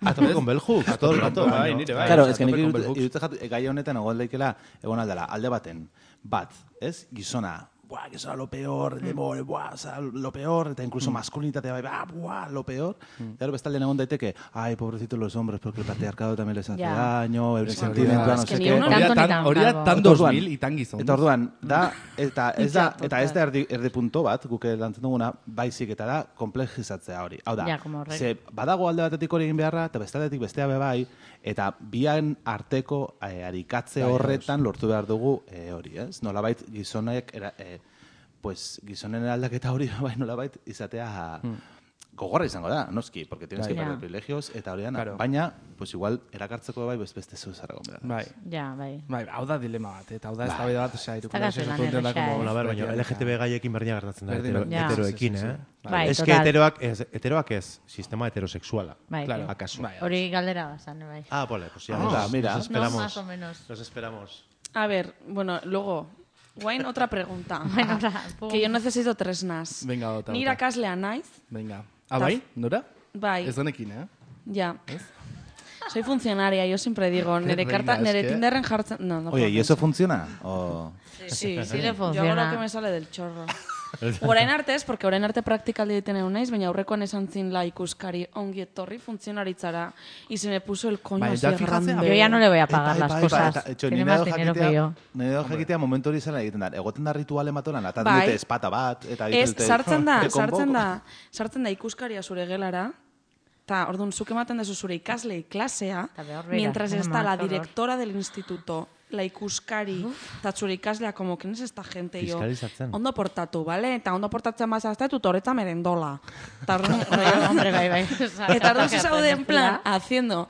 A tope con bell hooks, todo el rato. Bai, nire bai. Claro, a ez que tope nik con bell hooks. iruditzen jatu, gai honetan egon daikela, egon aldela, alde baten, bat, ez? Gizona, buah, gizona lo peor, demore, buah, o sea, lo peor, eta incluso masculinitatea bai, bah, buah, lo peor. Claro, bestaldean egon daiteke, ay, pobrecitos los hombres, porque el patriarcado también les hace Ja. daño, el Es sentimiento, no que sé ni qué. uno tanto ni tan Hori da bravo. tan Eta orduan- dos mil y tan gizon. Eta orduan, da, eta ez da, Ja, eta ez da erdi, erdi punto bat, guk lantzen duguna, baizik eta da, komplejizatzea hori. Hau da, Ja, como horrek. ze badago alde batetik hori egin beharra, eta bestaldetik bestea be bai, eta bian arteko eh, arikatze Bai, horretan lortu behar dugu eh, hori, ez? Nolabait gizonek, era, eh, pues, gizonen aldaketa hori, bai, nolabait izatea gogorra izango da, noski, porque tienes Bai. que perder Ja. privilegios, eta horian, Claro. baina, pues igual, erakartzeko bai, beste beste zeu zarragon behar. Bai. Ja, bai. Bai, hau da dilema bat, eta hau da eztabaida bat, osea, Ez da gaze lan erresa, eh? Bueno, a ver, baina L G T B gaiekin berdina gertatzen da, Berdin, hetero, berdin. Ja. heteroekin, Sí, sí, sí, eh? sí. Bai, es que total. heteroak ez, heteroak ez, sistema heterosexuala. Bai, Claro. Akaso. Bai, hori galdera bazan, bai. Ah, vale, pues ya Ah, nos, mira. nos esperamos. No, más o menos. Nos esperamos. A ver, bueno, luego, guain otra pregunta. Bueno, ahora, pum. que yo necesito tresnas. Venga, otra, Ni otra. irakaslea naiz, Venga. Ah, bai? Nora? bai, Ez donekin, eh? ya. Soy funcionaria, yo siempre digo, nere Venga, karta, es nere que- Tinderren jartzen... No, no Oye, puedo ¿y eso pensar. funciona? O... Sí, Sí le Yo hago funciona. lo que me sale del chorro. Orain arte ez, porque orain arte praktikaldi egiten egon naiz, baina aurrekoan esan zin la ikuskari ongi etorri funtzionaritzara. Y se me puso el coño Bai, así ya fíjate, grande. Yo ya no le voy a pagar Bai, las bai, cosas. bai, eta, etxo, Tiene ni más nahi dinero jakitea- que yo. Nahi dut jakitea momentu hori zela egiten da. Egoten da rituale matolan, eta Bai. dute espata bat, eta Ez, dute... sartzen da, te convoco. sartzen da, sartzen da ikuskaria zure gelara, eta orduan zuk ematen dezu zure ikaslei klasea, Ta behor bera, mientras no, está la horror. directora del instituto, la ikuskari, eta zure ikaslea, como, ¿quién es esta gente? Y yo, Fiskalizatzen. ondo portatu, bale? Eta ondo portatzen bazazte, tutoreta merendola. Eta orduan, Hombre, bai, bai. Eta orduan se zaude en plan, haciendo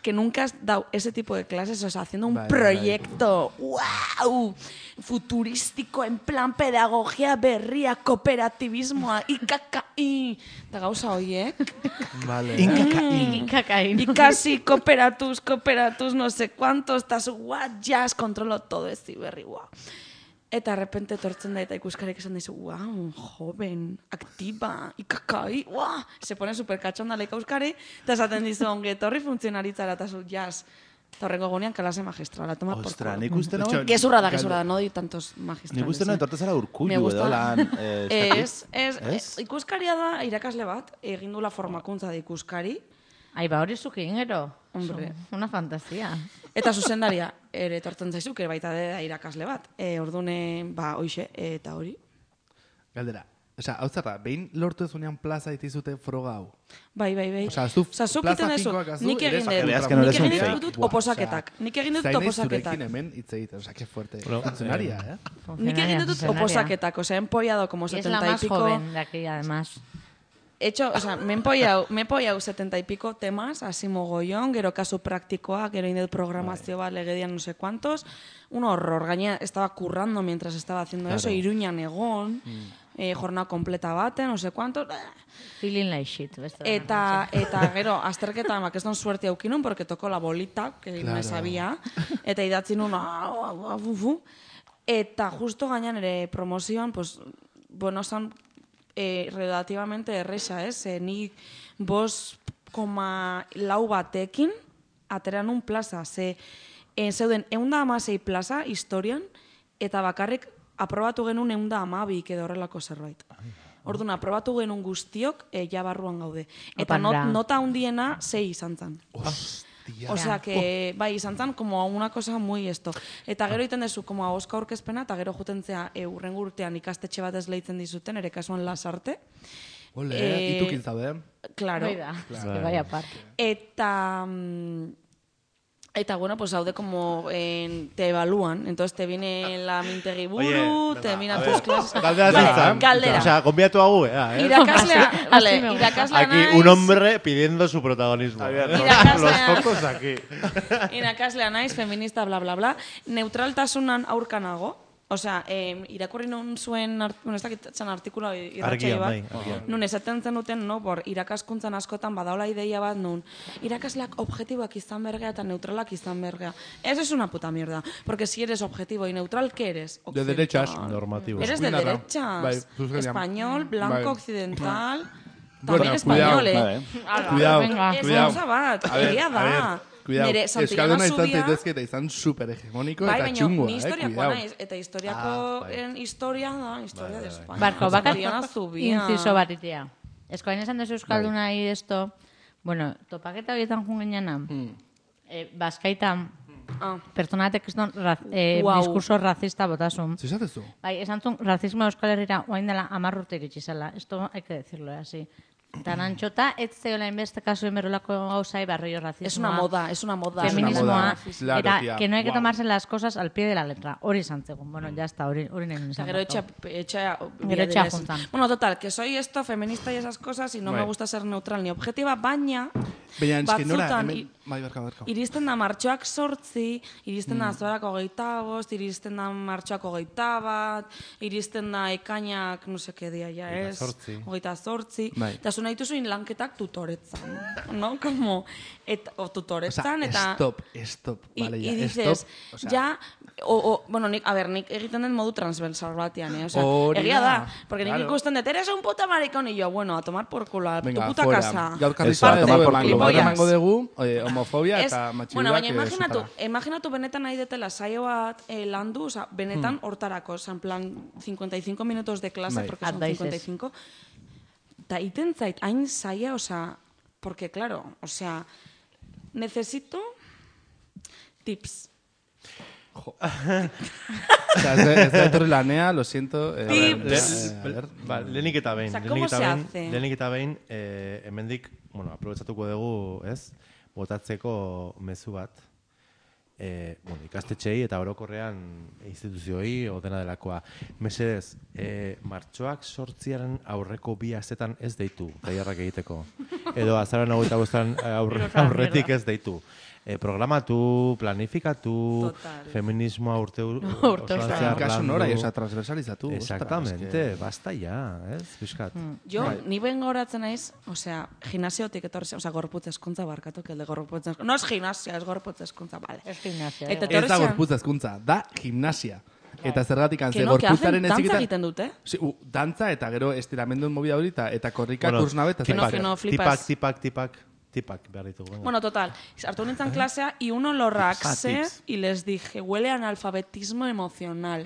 que nunca has dado ese tipo de clases, o sea, haciendo un Bai, bai, proyecto, wow, futurístico, en plan pedagogia berria, kooperativismoa, I K K I, eta gauza horiek. Vale. Kakain. Ikasi, kooperatuz, kooperatuz, no sé cuántos, eta zu, what, jazz, kontrolo todo ez berri, wow. Eta de repente tortzen da eta ikuskarek esan dizu, wow, joven, activa, I K K I, wow. Se pone super cachonda la ikuskari, eta esaten dizu, ongi etorri funtzionaritzara, eta zu, jazz. Eta horrengo gunean, kalase magistrala, toma por Ostra, culo. nik uste nagoen... Gezurra da, gezurra da, no di tantos magistrales. Nik uste nagoen eh. tortezara Me urkullu gusta. edo lan... eh, ez dakit. Ez, ez, Ez? eh, ikuskaria da irakasle bat, egin dula formakuntza da ikuskari, Ai, ba, hori zuki ingero. Hombre. Una fantasia. eta zuzendaria ere etortzen zaizuk, ere baita da irakasle bat. E, ordune, ba, hoxe, eta hori. Galdera. Osea, hau zerra, behin lortu ezunean plaza itizute froga hau. Bai, bai, bai. Osea, zu Osea, zuk plaza egiten duzu, finkoak azu, nik eres egin akademikoa. Veas dut, que no nik eres un egin fake. dut Buah, oposaketak. osea, Nik egin dut zain naiz oposaketak. zurekin hemen hitz egiten, osea, que fuerte. Bueno, Funtzionaria, eh? Nik egin dut Funcionaria. oposaketak, osea, he empollado como Y es la setenta y más pico... joven de aquí, además. He hecho, o sea, me he empollado, me he empollado setenta y pico temas, así mogollón, gero kasu praktikoa, gero indel programazio bat, legedian no sé cuántos. Un horror, gainera estaba currando mientras estaba haciendo Claro. eso, Iruñan egon, eh, jornada completa baten, no sé cuántos. Feeling like shit. beste da. Eta, eta gero, azterketan, bakeston suerte aukinun, porque tocó la bolita, que Claro. no sabía, eta idatzi nun, ah, ah, ah, fu, fu. Eta justo gainan ere promozioan, pues, bueno, son eh, relativamente erresa, ez? Eh, ni bos koma lau batekin, ateran un plaza, ze eh, zeuden eunda amasei plaza historian, eta bakarrik aprobatu genuen eunda amabik edo horrelako zerbait. Orduan, aprobatu genuen guztiok, e, ja barruan gaude. Eta not, Opandra. nota handiena sei izan zen. Hostia. O sea, que, bai, izan zen, como una cosa muy esto. Eta gero iten dezu, como ahoska aurkezpena, eta gero jutentzea e, urrengo urtean ikastetxe bat ez lehitzen dizuten, ere kasuan Lasarte. Ole, Eh, itukin zaude. Claro. Hoi da, eske vaya par. Eta... mm, Eta bueno, pues haude como en, te evalúan, entonces te viene la mintegi buru, Oye, te venga, miran a tus ver, clases. Galdera Vale, zaitzan. galdera. O sea, konbiatu hagu, eh? Irakaslea, Así- vale, así me gusta. irakaslea Aquí naiz. un hombre pidiendo su protagonismo. Irakaslea- Los focos aquí. Irakaslea naiz, feminista, bla, bla, bla. Neutraltasunan aurkanago. Osea, eh, irakurri nun zuen, art, bueno, ez dakitzen artikula irratxai Argian, bat. bai, argian. Nun esaten zenuten, no, por irakaskuntzan askotan badaola ideia bat, nun irakasleak objetiboak izan bergea eta neutralak izan bergea. Eso es una puta mierda. Porque si eres objetivo y neutral, ¿qué eres? De Occidental. derechas. Normativo. Eres de Eskuindarra. derechas. Bai, zuzenian. Español, blanco, Bai. occidental. Bueno, También cuidado. español, eh. Vale. Ala, Cuidado, venga. Ez cuidado. gauza bat, A ver, egia a da. ver, cuidado. Nere Santillana Euskalduna izan zubia... zaitezke eta izan super hegemoniko Bai, eta baina txungoa, ni eh, historiakoa cuidado. naiz, eta historiako Ah, bai. en historia da, historia de España. Barko, bakat Santillana zubia. inciso bat itea. Eskoain esan dezu euskalduna y esto, bueno, topaketa horietan jungen jana, eh, Baskaitan, Ah. pertsona batek ez raz, eh, Guau. diskurso racista botasun. Zizatezu? Bai, esan zuen, racismo Euskal Herrira oain dela hamar urte iritsi zela. Esto hay que decirlo, eh, así. Tan antxota, ez zeola inbeste kasu emerolako gauzai barrio racismoa. Es una moda, es una moda. Feminismoa, Claro, eta tía. que no hay que Guau. tomarse las cosas al pie de la letra. Hori izan zegoen. Bueno, ya está, hori, hori nahi Eta nizan. gero etxa, etxa, Gero etxea juntan. Bueno, total, que soy esto, feminista y esas cosas, y no Bai. me gusta ser neutral ni objetiva, baina... Baina, eski nora, batzutan hemen... i- Bai, barka, barka. Iristen da martxoak sortzi, iristen Mm. da azorako hogeita bost, iristen da martxoak hogeita bat, iristen da ekainak, no seke dia ja Hogeita ez, zortzi. hogeita zortzi, Bai. eta zu nahi duzuin lanketak tutoretzan, no? Como, eta, o O tutoretzan, sea, eta... stop, stop, Y, vale, y ya, dices, stop. O sea, ya, o, o, bueno, nik, a ver, nik egiten den modu transversal batean, eh? O sea, Hori egia da, da, porque nik claro. ikusten dut, eres un puta maricón, y yo, bueno, a tomar por culo, a tu venga, puta fuera. casa. Gaur Eso, karrizan a tomar edo por emango, culo. gaur Gilipollas. emango dugu eh, homofobia Ez, eta matxiduak bueno, baina eh, imaginatu, supera. imaginatu benetan nahi detela saio bat eh, landu, o sea, benetan hortarako, o sea, en plan cincuenta y cinco minutos de clase, Bai. porque son Advices. cincuenta y cinco, eta iten zait, hain saia, o sea, porque claro, o sea, necesito tips. O sea, ez da- ez da etorri lanea, lo siento. Eh, a ver, Tips. eh, a ver. Ba, lehenik eta behin. O sea, lehenik ¿cómo eta se behin- hace? Lehenik eta behin, eh, hemendik, bueno, aprobetsatuko dugu, ez? Botatzeko mezu bat. Eh, bueno, ikastetxeei eta orokorrean instituzioi o dena delakoa. Mesedez, eh, martxoak sortziaren aurreko bi astetan ez deitu, tailerrak egiteko. Edo azaren hogeita bostan aurre, aurretik ez deitu. Eh, programatu, planifikatu, Total. feminismoa urte urte osoan osoan. zehar Kasu landu. nora, oza, transversalizatu. ostras, Exactamente, es que- basta ya, ez, pixkat. Jo, Bai. ni ben goratzen naiz, osea, gimnasiotik etorri zen, osea, gorputz eskuntza barkatu, que el de gorputz eskuntza. No es gimnasia, es gorputz eskuntza, vale. Ez gimnasia. Eta eh. etorri Ez da zen- gorputza hezkuntza, da gimnasia. Eta zergatik Que antze no, que hacen gorputzaren dantza eziketan... egiten dute. Sí, u, dantza eta gero estiramenduen movida hori eta- eta korrika bueno, kursnabe eta que no, zain que zer. no, flipas. Tipak, tipak, tipak, tipak behar ditugu. venga. Bueno, total, hartu nintzen klasea y uno lo raxé tips. y les dije, huele a analfabetismo emocional.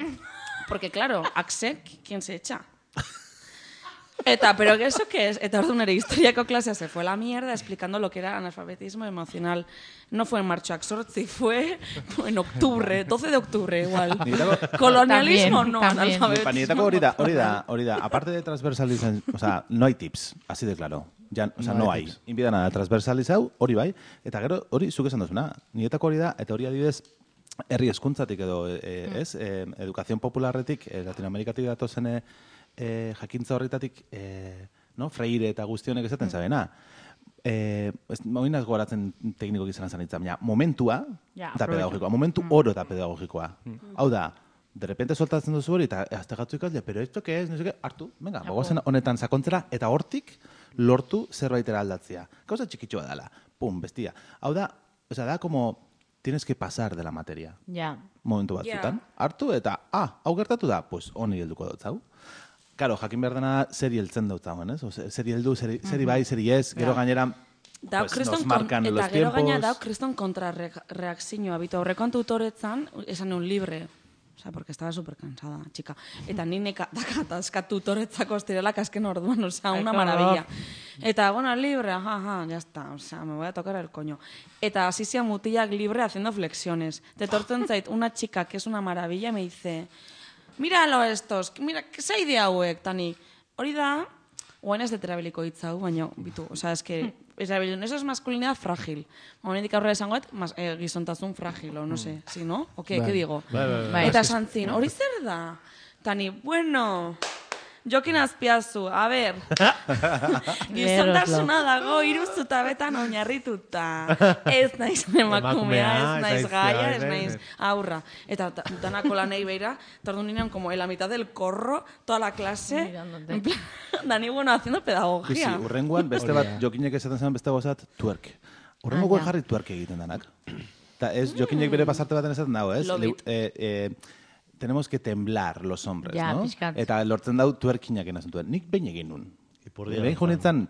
Porque claro, axe, ¿quién se echa? Eta, pero ¿qué ¿eso qué es? Eta orduan ere historiako klasea se fue a la mierda explicando lo que era analfabetismo emocional. No fue en martxoak sortzi, fue en octubre, doce de octubre igual. Niretako- Colonialismo También, no, también. analfabetismo. Niretako hori da, hori da, hori da. Aparte de transversalizar, o sea, no hay tips, así de claro. Ya, o sea, No no, hay hay. tips. Inbida nada, transversalizau, hori bai. Eta gero, hori zuk esan duzuna. Niretako hori da, eta hori adibidez, herri hezkuntzatik edo, e, ez, e, edukazion popularretik, e, Latinoamerikatik datozen e, e, jakintza horretatik, e, no, Freire eta guztionek esaten zabena. Eh, ez, moinaz goratzen tekniko gizan zanitzen, baina momentua Ja, eta aprobetxa. pedagogikoa, momentu oro eta pedagogikoa. Hau da, de repente soltatzen duzu hori, eta azte gatzu ikasle, pero esto que es, no sé qué, hartu, venga, gogozen honetan sakontzera, eta hortik lortu zerbaitera aldatzea. Gauza txikitxoa dela, pum, bestia. Hau da, o sea, da como, tienes que pasar de la materia. Ja. Momentu batzutan. Hartu eta, ah, hau gertatu da, pues honi helduko dut zau. Karo, jakin behar dena zeri heltzen dut zauen, ez? O, zeri heldu, zeri, zeri bai, zeri ez, gero gainera, Dau pues, kriston nos kon- marcan eta los gero gaina tiempos. dau kriston kontrareakzioa. Bitu aurrekoan tutoretzan, esan un libre. O sea, porque estaba súper cansada, chica. Eta ni neka dakatazka tutoretzako estirelak azken orduan, o sea, Ay, una qué maravilla. Eta, bueno, libre, ajá, ajá, ya está, o sea, me voy a tocar el coño. Eta hasi zian mutilak libre haciendo flexiones. Te tortzen zait una chica que es una maravilla y me dice, míralo estos, mira, ¿qué zaide hauek, Tani? Hori da, Oain ez deterabiliko hitza hau, baina, bitu, oza, eske, erabilun, eso es masculinidad frágil. Momentik aurrera esango et, mas, eh, gizontasun frágil, o no sé, si, no? O que, que digo? Bai, bai, bai. Eta santzin, hori zer da? Tani, bueno, Jokin Azpiazu, a ber, gizontasuna dago iruzuta betan oinarrituta. Ez naiz emakumea, ez naiz gaia, ez naiz aurra. Eta danako lanei beira, tordu ninean como en la mitad del corro, toda la clase, en plan, Dani, bueno, haciendo pedagogia. Sí, urrengoan, beste bat, Jokinek esaten zen beste gozat, twerk. Urrengo guen jarri twerk egiten danak. Eta ez, Jokinek bere pasarte baten esaten dago, ez? Love it. Eh, eh, tenemos que temblar los hombres, Ja, no? pixkat. Eta lortzen dau tuerkinak enazen duen. Nik behin egin nun. Behin junitzen,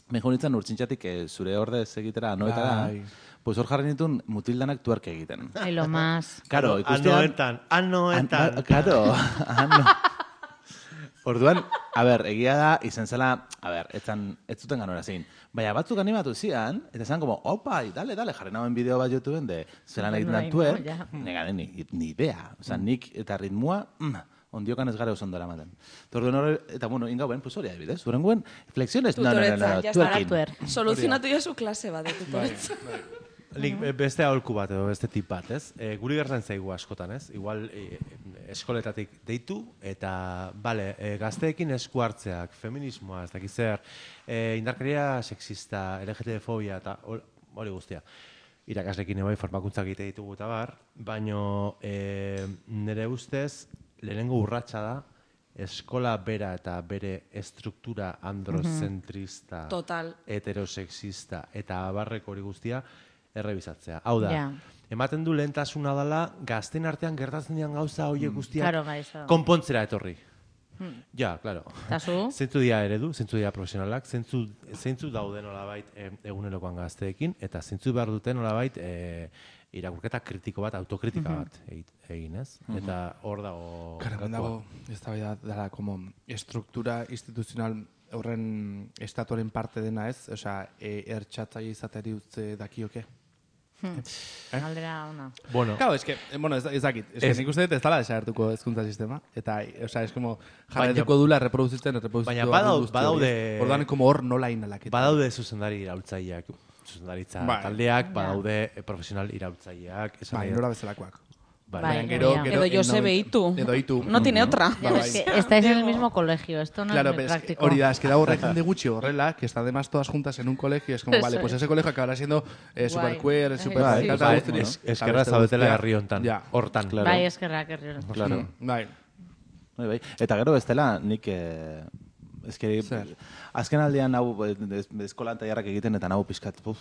behin junitzen urtsintxatik eh, zure ordez egitera, anoetara, Bai. pues hor jarri nituen mutildanak tuerke egiten. Ai, lo más. Karo, ikustean... Anoetan, anoetan. An- Karo, ano. Orduan, a ber, egia da, izen zela, a ber, etzan, ez zuten ganora zein. Baina batzuk animatu zian, eta zan como, opa, dale, dale, jarri nauen bideo bat YouTubeen de zelan egiten Bai, dan tuer, no, ja. nega, ni, ni idea. Osa, nik eta ritmua, mm, ondiokan ez gara osondora ematen. Torduen hori, eta bueno, ingauen, pues hori adibidez, urenguen, flexiones, no, no, no, Tutoretza, no, ya tuerkin. Tuer. Soluzionatu ja su klase bat, de tutoretza. Nik beste aholku bat edo beste tip bat, ez? E, guri gertzen zaigu askotan, ez? Igual e, eskoletatik deitu eta, bale, e, gazteekin esku hartzeak, feminismoa, ez dakiz zer, e, indarkeria sexista, L G T B fobia eta hor- hori guztia. Irakaslekin ebai formakuntzak egite ditugu eta bar, baino e, nire ustez lehenengo urratsa da eskola bera eta bere estruktura androzentrista, Total. heterosexista eta abarreko hori guztia errebisatzea. Hau da, Ja. ematen du lehentasuna dela gazten artean gertatzen dian gauza horiek guztiak Claro, gaixo. konpontzera etorri. Ja, claro. Eta zu? Zeintzu dira eredu, zeintzu dira profesionalak, zeintzu, zeintzu daude nolabait e, egunerokoan gazteekin, eta zeintzu behar duten nolabait e, irakurketa kritiko bat, autokritika bat egit- egin, ez? Eta hor dago... Claro, gakoa. dago, ez da dela, como, estruktura instituzional horren estatuaren parte dena ez, osea, e, ertxatzaile izateri utze dakioke. Galdera ona. Bueno, Claro, es que, eh, bueno, ez, ez dakit, es que Ez- nik uste dut ez dala desagertuko hezkuntza sistema, eta, o sea, es como, jarraituko dula reproduzitzen, reproduzitzen. Baina badau- badaude- Orduan, como hor nola inalaketa. badaude zuzendari iraultzaileak, zuzendaritza Bai. taldeak, badaude eh, profesional iraultzaileak, esan Bai, nahi dut. nora bezalakoak. Bai. Bai. Gero, ja. gero, Edo Josebe el Itu. Edo Itu. No tiene otra. Ya, Bai, es que bai. estáis en el mismo colegio, esto no Claro, es muy pero es que práctico. hori da, es que da horrek jende gutxi horrela, que está además todas juntas en un colegio, es como, Eso vale, pues es. ese colegio acabará siendo eh, super Guai. queer, super Bai, radical, Bai, eta guzti, es- eta eskerra beste zaudetela guztia. herri hontan, Ja. hortan. Claro. Bai, eskerrak herri. Claro. Bai. Bai, bai. Eta gero bestela, nik... Eh, eske, Zer? azken aldean hau eh, ez- eskolan tailarrak egiten eta nahu pizkat. Uf,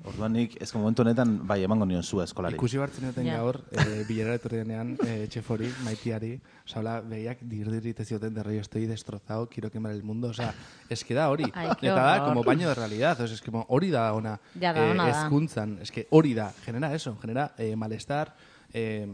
orduan nik, ez momentu honetan, bai, emango nion zua eskolari. Ikusi bartzen duten Ja. gaur, eh, bilera etorri denean, eh, txefori, maitiari, oza, hola, behiak dirdirit ez zioten de rollo, estoy destrozado, quiero quemar el mundo, oza, es que da hori. Ai, qué Eta da, horror. como baño de realidad, o sea, es que como hori da ona, Ja, da ona da. ezkuntzan, es que hori da, genera eso, genera eh, malestar, eh,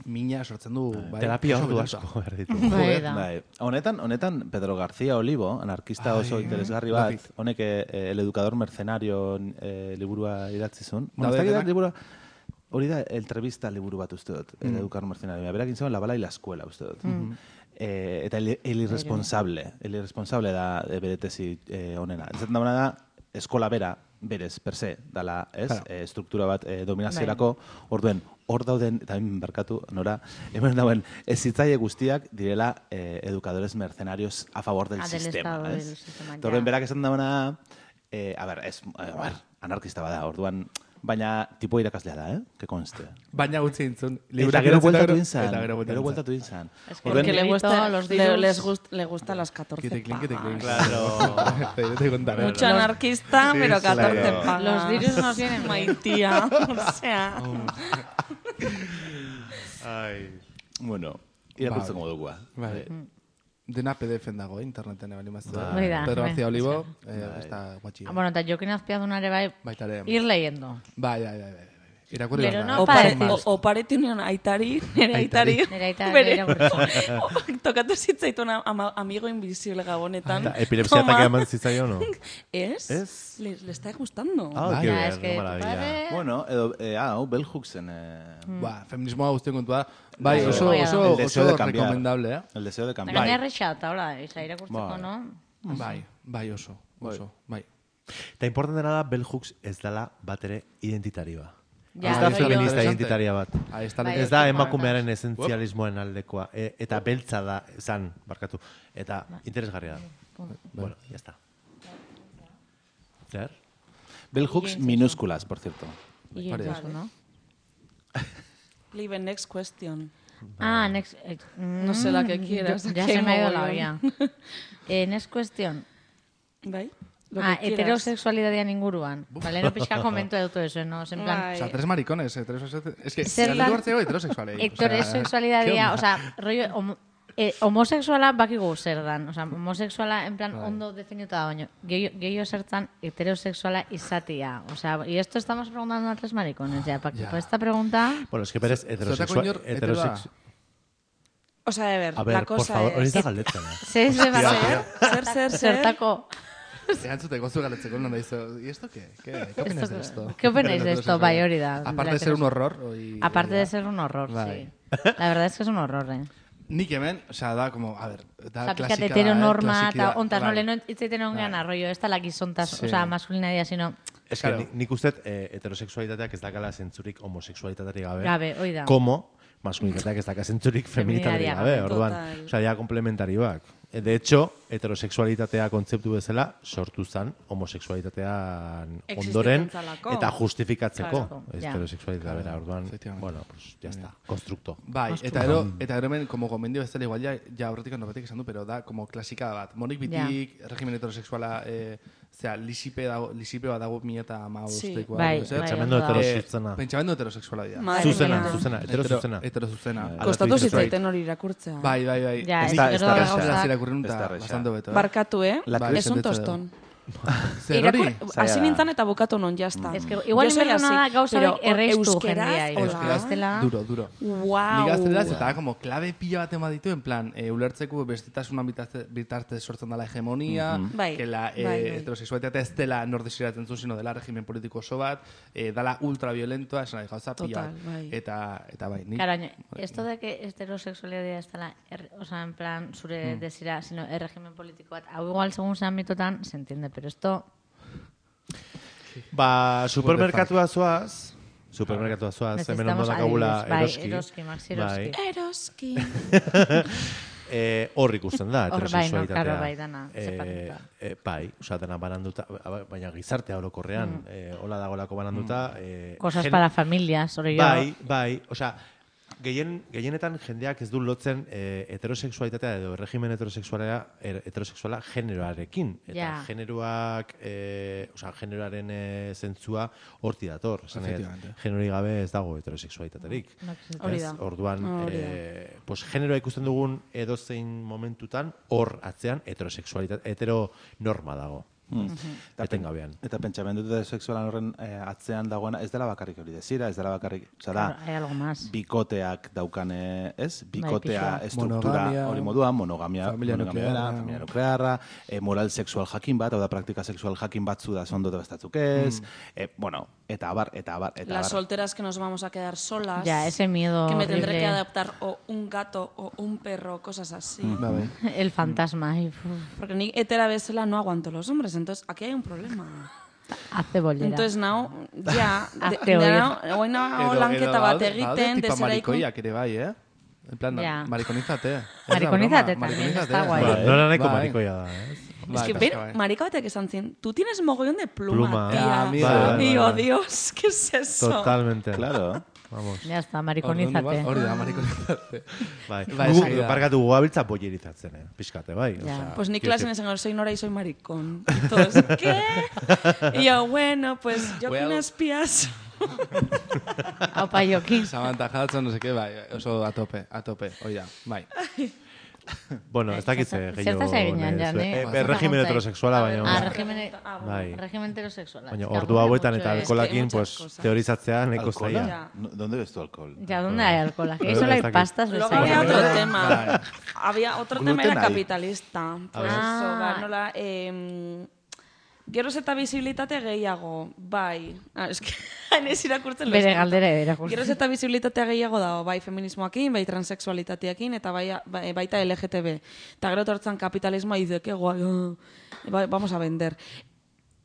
mina sortzen du, bai, Terapia oso ordu berosa. asko behar ditu. Bai, da. Bai. Honetan, honetan Pedro García Olivo, anarkista Ai, oso interesgarri love bat, it. honek eh, El educador mercenario eh, liburua idatzi zuen. Bueno, Daude ez dakit da denak? liburua, hori da entrevista liburu bat uste dut, El educador mercenario. Berak egin zuen La bala y la escuela uste dut. Eh, eta el, el irresponsable, el irresponsable da eh, bere tesi eh, honena. Ez da da, eskola bera, berez, per se, dala, ez, Claro. eh, struktura bat eh, dominaziorako, orduen, hor dauden, eta hemen barkatu, nora, hemen dauen, ez zitzaile guztiak direla eh, educadores mercenarios a favor del Ah, del sistema, Estado, ez? del sistema, Eta orduen, ja. berak esan dauna, eh, a ber, ez, a ber, anarkista bada, orduan, baina tipo irakaslea da, eh? Que conste. Baina gutxi intzun. Eta gero bueltatu inzan, Eta gero gero bueltatu bueltatu inzan. Es que Orduen, Porque le, Ordenito, gusta, los le, dirus. les gust, le gusta las catorce Kitekling, kitekling. pagas. Claro. Te te contaré. Mucho anarquista, Sí, pero sí, catorce claro. pagas. Los virus nos vienen bien. Maitía, o sea... Ai. bueno, irakurtzen modukua. Bai. Dena P D F-en dago, eh, interneten ebali maztu. Bai da, Pedro bai. García Olivo, eh, está guatxia. Ah, bueno, eta Jokin Azpiadunare bai, Baita ere. ir leyendo. Bai, bai, bai, bai. Irakurri Pero behar da. no Opare, para- o, oparitu nion aitari, nire Aitari. aitari, Nire aita bere, irakurri. o- tokatu zitzaitun ama, amigo invisible gabonetan. Eta epilepsia Toma. ataque eman zitzaio, no? ¿Es? Ez? Le, le está gustando. Ah, qué Ya, bien, es que qué tu maravilla. padre... Bueno, edo, eh, ah, hau, Bell Hooksen, eh, Ba, feminismoa guztien kontua. Bai, Bai, oso, bai, oso, el deseo oso de cambiar. recomendable, eh? El deseo de cambiar. Gaina errexat, hola, isa irakurtzeko, Bai. no? Bai, bai oso, oso, bai. Eta importantena da, bell hooks ez dela bat ere identitarioa. Ja, ez da rollo- feminista identitaria bat. Ahí está Bai, Ez da bai. emakumearen esentzialismoen aldekoa. E, eta beltza da, zan, barkatu. Eta interesgarria da. Bueno, ya está. Zer? Bell hooks minúsculas, por cierto. Y Vale. eso, ¿no? Leave next question. Ah, next... eh, No sé la que quieras. Ya Qué se me ha ido la mogollón. olla. Eh, next question. Bai? Lo Ah, que quieras. heterosexualidadian inguruan. Vale, no pixka komento dut eso, no? En plan, Bai. O sea, tres maricones, heterosexuales. Es que, Zer galdetu dan- hartzeko heterosexualei. heterosexualidadia, ¿qué o sea, rollo, homo, eh, homosexuala bakigu zer dan. O sea, homosexuala, en plan, Bai. ondo definituta da, baino. Gehiago zertzan heterosexuala izatia. O sea, y esto estamos preguntando a tres maricones, ya, Paqui. Ya. Pues esta pregunta... Bueno, es que berez Zotako heterosexual... inor heterosex... O sea, a ver, A ver, la por cosa favor, hori es... da galdetzen. eh? Se se va a Zer, zer, zer, zer. Zertako... Erantzuteko zu galetzeko non dizo. ¿Y esto qué? ¿Qué, ¿Qué opinas de esto? ¿Qué opináis de esto? Bai, hori da. Aparte de ser un horror. Hoy, Aparte de ser un horror, Bai. sí. La verdad es que es un horror, eh. Nik hemen, o sea, da como, a ver, da Osa, klasika pixkat da, heteronorma, eh, klasiki da. eta ontaz, no, Bai. leheno hitzaiten ongean Bai. arroio, ez da la gizontas, Sí. o sea, masculinadia, sino... Es que Claro. ni- nik uste eh, heterosexualitateak ez dakala zentzurik homosexualitateari gabe. Gabe, hoi da. Como maskulinitateak ez daka zentzurik feminitateari Feminitatea gabe. gabe. Orduan, Total. osea, ja komplementarioak. E, De hecho, heterosexualitatea kontzeptu bezala sortu zen homosexualitatean Existitzen ondoren zalako. eta justifikatzeko Claro, ja. heterosexualitatea Claro, bera. Orduan, efectivamente. bueno, pues ya está, constructo. Bai, eta ero, eta ero hemen, como gomendio bezala igual ja, ja aurretik norbatik esan du, pero da como klasika bat. Monik bitik, regimen heterosexuala, eh, zera, lisipe, dago, lisipe bat dago mi eta ama Sí. ustekoa. Bai, edo zer? bai, Pentsamendu ondo dago. heterosexuala. Eh, pentsamendu heterosexuala dira. Madre Zuzena, mía. zuzena, heterozuzena. Heterozuzena. Kostatu Alatu zitzaiten hori irakurtzea. Bai, bai, bai. Ja, Nik ez da- ez ez da da erraza gauza- irakurri Ez da eta erraza. bastante beto. eh? Barkatu, eh? La Bai, Es un sentetzen tostón. Zer hori? Irakur- Hasi nintzen eta bukatu non, jazta. Es que igual inberna da gauza pero erreistu euskeraz, jendea. hola. Euskeraz, Bestela- duro, duro. Wow. Nik gazteleraz, eta da, como, klabe pila bat ema ditu, en plan, e, ulertzeko bestitasunan bitartez, bitartez sortzen dela hegemonia, Mhm. Bai, que la e, bai, bai. heterosexualitatea ez dela nor desiratzen zu, sino dela regimen politiko oso bat, e, dela ultraviolentoa, esan nahi gauza pila Total, bat. bai. Eta, eta bai, nik... Claro, baina, esto de que heterosexualidad ez dela, er, o sea, en plan, zure desira, sino el régimen político bat, hau igual, según zean mitotan, se entiende, pero esto... Ba, supermerkatua zoaz, supermerkatua zoaz, hemen ondo Necesitamos dakagula adibidez, bai, eroski. eroski, Maxi Eroski. Bai. Eroski. Eh, hor ikusten da, Hor bai, no, heterosexualitatea. claro, bai, dana, Eh, separatuta. eh, bai, osea, dena bananduta, baina gizartea orokorrean, eh, hola dagolako bananduta. Eh, Cosas gen- para familias, hori jo. Bai, bai, osea, gehien, gehienetan jendeak ez du lotzen eh, heterosexualitatea edo regimen heterosexuala, er, heterosexuala generoarekin. Eta Ja. generoak, eh, osea, generoaren eh, zentzua horti dator. Esan nahi dut, Efectivamente. generori gabe ez dago heterosexualitaterik. No existe. Hori Ez? da. Orduan, Hori da. eh, pues, generoa ikusten dugun edozein momentutan, hor atzean heterosexualitate, heteronorma dago. Mm. Etengabean. Eta pentsamendu sexualan horren eh, atzean dagoena ez dela bakarrik hori desira, ez dela bakarrik, osea da, Claro, hay algo más. bikoteak daukane, ez? Bikotea pixua. estruktura Monogamia, hori moduan, monogamia, familia monogamia nuklearra. dela, familia nuklearra, eh, moral sexual jakin bat, hau da praktika sexual jakin batzu da zondo eta bestatzuk ez, eh, bueno, eta abar, eta abar, eta Las abar. solteras que nos vamos a quedar solas. Ya, ese miedo Que me tendré horrible. que adaptar o un gato o un perro, cosas así. Ba, bai. El fantasma. Y, uf, Porque ni hetera bezala no aguanto los hombres, entonces aquí hay un problema. hace bollera. Entonces, now, ja, de, Hazte de, oír. now, oin nago lanketa bat egiten, tipa desera ikun... marikoiak ere bai, eh? En plan, Ja. marikonizate. Ez da Marikonizate broma, también, marikonizate. está guay. Ba, nola nahiko Bai. marikoia da, ez? Es Bai, que, pasa, ber, bai. marika batek esan zin, tú tienes mogollón de pluma, Pluma. tía. Ah, amigo. Bai, bai, Y, bai. oh, Dios, ¿qué es eso? Totalmente. Claro. Vamos. Ya está, Orduan, mariconízate. Hori da, marikonizate. Bai, Bai, gu, esan da. barkatu gugabiltza bollerizatzen, eh? Pixkate, bai. Ja. Osea, Pues ni quiero clase en decir, ese soy Nora y soy maricón. Y todos, ¿qué? Y yo, bueno, pues yo Well. con espías. Aupa Jokin. Samantha Hudson, no sé qué, bai, oso a tope, a tope, hoi da, bai. Bueno, ez dakit ze Zertaz gehiago... eginean, nahi ja, duzu, ne? eh? Zertaz Eh, Regimen gontzai. heterosexuala, baina... Ah, régimen, Bai. régimen heterosexual. Baina Es que ordu aburre hauetan mucho, eta eh. alkolakin, muchas pues, cosas. teorizatzea nahiko ¿Alcohola? zaila. Ya. No, ¿Dónde ves tú alcohol? Ya, ¿dónde hay alcohol? Aquí Pero solo hay está aquí. pastas. Luego pues, había ahí. otro Vale. tema. Había otro tema, Gluten era hay. capitalista. Pues ver. eso, Ah. ba, nola, eh, Geroz eta visibilitate gehiago, bai. Ah, eske, hain ez irakurtzen. Bere galdera irakurtzen. Geroz eta visibilitatea gehiago dago, bai feminismoakin, bai transexualitateakin, eta bai, bai, baita L G T B. Eta gero tortzan kapitalismoa izeke, guai, oh, bai, vamos a vender.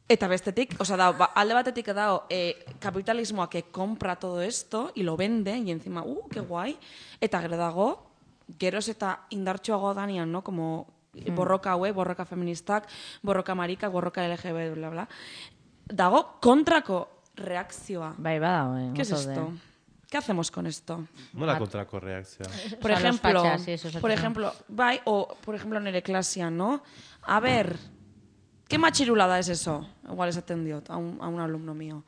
Eta bestetik, o sea, da, ba, alde batetik dago eh, kapitalismoa que compra todo esto y lo vende, y encima, uh, que guai. Eta gero dago, geroz eta indartxoago danian, no? Como borroka haue, borroka feministak, borroka marikak, borroka L G B, bla, bla. Dago kontrako reakzioa. Bai, badago, eh. ¿Qué es esto? ¿Qué hacemos con esto? Nola kontrako reakzioa? Por O sea, los ejemplo, fachas, sí, eso es por otro. ejemplo, bai, o por ejemplo nere klasean, ¿no? A ver, ¿qué machirulada es eso? Igual esaten diot a un, a un alumno mío.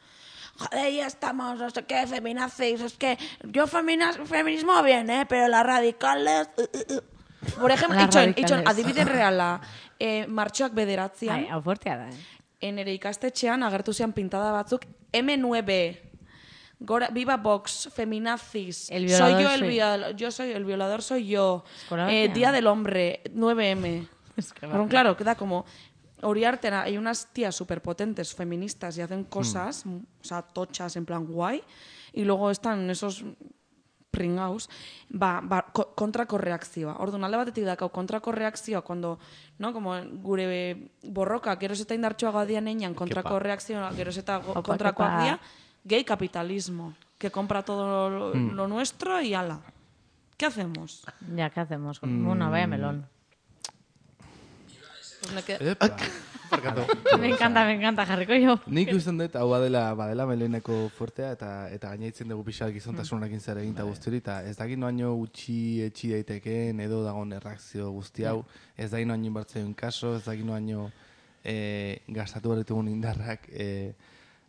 Joder, ya estamos, no sé qué, feminazis, es que yo feminas, feminismo bien, ¿eh? Pero las radicales... Uh, uh, uh. Por ejemplo, Las itxoin, radicales. itxoin, adibide reala, eh, martxoak bederatzean, Ai, hau fuertea da, eh. enere ikastetxean agertu zian pintada batzuk M nueve, Gora, Viva Vox, feminazis, El soy violador yo el soy- violador, yo soy el violador soy yo, Eskola eh, batean. Día del Hombre, nueve eme. Es que Pero claro, queda como Oriarte, hay unas tías superpotentes feministas y hacen cosas, o sea, tochas en plan guay, y luego están esos pringaus, ba, ba, ko, kontrako reakzioa. Orduan, alde batetik dakau kontrako reakzioa, cuando, no, como gure borroka, geroz eta indartxoagoa dian einan, kontrako Kepa. reakzioa, geroz eta go- Opa, kontrakoak kepa. dia, gay capitalismo, que compra todo lo, Mm. lo nuestro y ala. ¿Qué hacemos? Ya, ¿qué hacemos? Bueno, vaya melón. Pues me qued- Epa. Barkatu. Me encanta, me encanta, jarriko jo. Nik usten dut, hau badela, badela meleneko fuertea, eta eta gainaitzen dugu pixak gizontasunarekin zer egin eta guzti hori, eta ez dakit noaino utxi etxi daitekeen, edo dagoen erreakzio guzti hau, ez dakit noaino inbertzen kaso, ez dakit noaino e, gastatu berritugun indarrak e,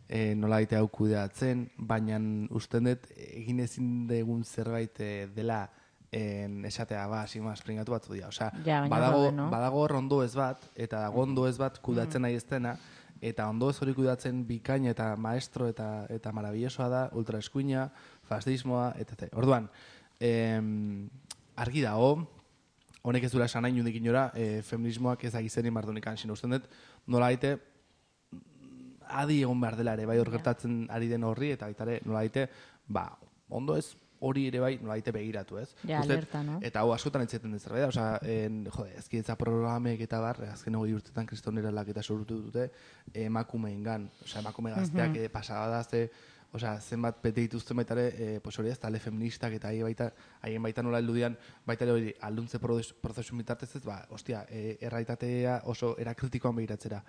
e, nola daite hau kudeatzen, baina usten dut egin ezin dugun zerbait e, dela en esatea, ba, sigma springatu batzu dira. Osea, Ja, baina badago, daude, no? badago hor ondo ez bat, eta dago ondo ez bat kudatzen nahi ez dena, eta ondo ez hori kudatzen bikain eta maestro eta eta maravillosoa da, ultraeskuina, fascismoa, et cetera. Orduan, em, argi dago, honek ez dura esan nahi nundik inora, e, feminismoak ez agizeni mardunikan, sino usten dut, nola daite, adi egon behar dela ere, bai hor gertatzen ari den horri, eta baita ere, nola daite, ba, ondo ez, hori ere bai, nola daite begiratu, ez? Ja, Uste dut, alerta, no? Eta hau askotan entzaten den zerbait da, osea, en, jode, ezkidetza programek eta bar, azken hogei urtetan kristonera eta sortu dute emakumeengan, osea, emakume gazteak mm -hmm. pasada da, ze, osea, zenbat bete dituzten baita ere, e, pues hori ez, tale feministak eta haien baita, haien baita nola heldudian, baita ere hori, alduntze prozesu bitartez ez, ba, ostia, e, erraitatea oso erakritikoan begiratzera.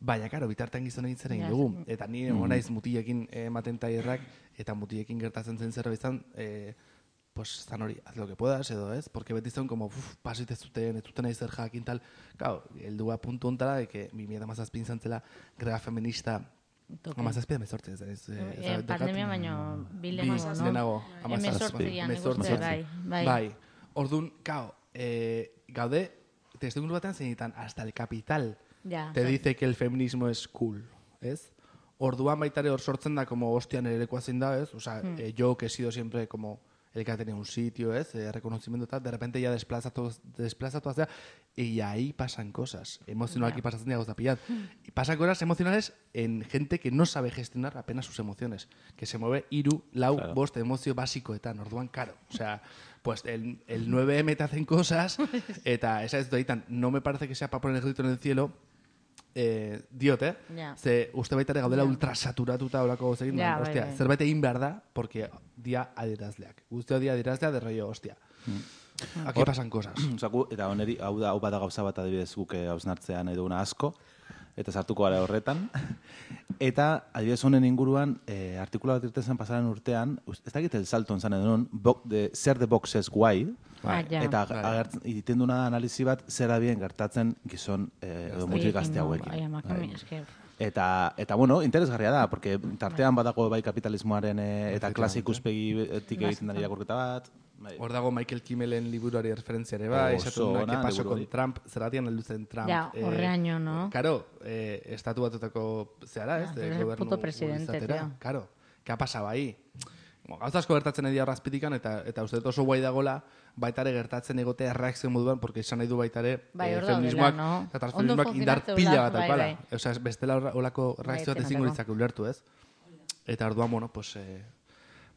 Baina, karo, bitartean gizon egin zer egin Ja, dugu. Eta ni egon naiz mutilekin ematen taierrak, eta mutilekin gertatzen zen zerbait izan, e, pues, zan hori, haz lo que puedas, edo ez, porque beti zen, como, uf, pasit ez zuten, ez zuten nahi zer jakin tal, claro, heldua puntu ontara, de que bi mila hamazazpin zantzela greba feminista, hamazazpi emezortzi, ez, ez, Eh, pandemia baino bi Bi, lehenago, no? lehenago, Hemezortzian, nik uste, hemezortzi. bai, bai. Bai, orduan, kao, e, gaude, testuinguru batean zeinetan, hasta el capital, Ja. te dice que el feminismo es cool, ¿ez? Orduan baitare hor sortzen da, como hostian erekoa zein da, ¿ez? O sea, Hmm. eh, yo que he sido siempre como el que ha tenido un sitio, ¿ez? Eh, reconocimiento tal, de repente ya desplazatu, desplazatu hacia, y ahí pasan cosas. Emocional, aquí pasan gauza pillat. Y pasan cosas emocionales en gente que no sabe gestionar apenas sus emociones. Que se mueve iru, lau, Claro. bost, emozio basikoetan, orduan, karo. O sea, pues el, el nueve eme te hacen cosas, eta esa ez daitan, no me parece que sea para poner el grito en el cielo, eh, diot, eh? Ja. Ze uste baita ere gaudela Ja. ultrasaturatuta olako gauzekin, Ja, ja, bai, hostia, bai. zerbait egin behar da, porque dia adierazleak. Guztio dia adierazlea de rollo, hostia. Aquí Hor- pasan cosas. Osea, gu- eta oneri, hau da, hau bada gauza bat adibidez guk eh, hausnartzea nahi duguna asko, eta sartuko gara horretan. Eta, adibidez honen inguruan, eh, artikula bat irten zen pasaren urtean, us- ez dakit el salto enzan edun, bo, de, zer de box ez guai, Ah, ja. eta Bai. agertzen, egiten duna analizi bat, zer abien gertatzen gizon eh, edo mutil gazte hauekin. Bai, emakume, Bai. eske, Eta, eta bueno, interesgarria da, porque tartean badago bai kapitalismoaren eh, eta Efectivamente. klase ikuspegitik egiten den irakurketa bat. Bai. Hor dago Michael Kimmelen liburuari referentzia ere, bai, Oso esatu duna, ona, que paso liburu con hori. Trump, zeratian heldu zen Trump. Ja, horreaino, no? Karo, eh, estatu batutako, zehara, ez, Ja, de es el gobernu puto presidente, izatera. tío. Karo, ¿qué ha pasado ahí? Gauza asko gertatzen edia arrazpitikan, eta, eta uste dut oso guai dagola, baitare gertatzen egotea reakzio moduan, porque esan nahi du baitare bai, eh, feminismoak no? eta transfeminismoak indar pila bat daukala. Bai, bai. Osea, bestela olako reakzio bat ezingo ditzak ulertu, ez? Eta orduan, bueno, pues... Eh,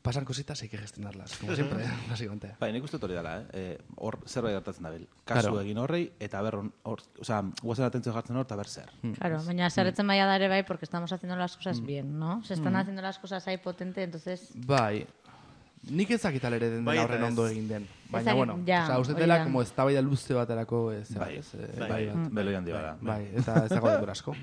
pasan cositas, hay que gestionarlas, como siempre, básicamente. Bai, nik uste hori dela, eh? Hor zerbait gertatzen dabil. Kasu Claro. egin horrei, eta ber, hor, osea, guazen atentzio jartzen hor, eta ber zer. Claro, baina zerretzen baia da ere bai, porque estamos haciendo las cosas bien, ¿no? Se están haciendo las cosas ahí potente, entonces... Bai, nik ezakit alere den Bai, dena eta horren ez. ondo egin den. Baina, Ezakit, bueno, ja, osea, uste hori dela, da. como eztabaida luze baterako, ez, Bai, ez, eh, bai, bai, bat. beloi handi bada. Bai, eta ez dago denbora asko.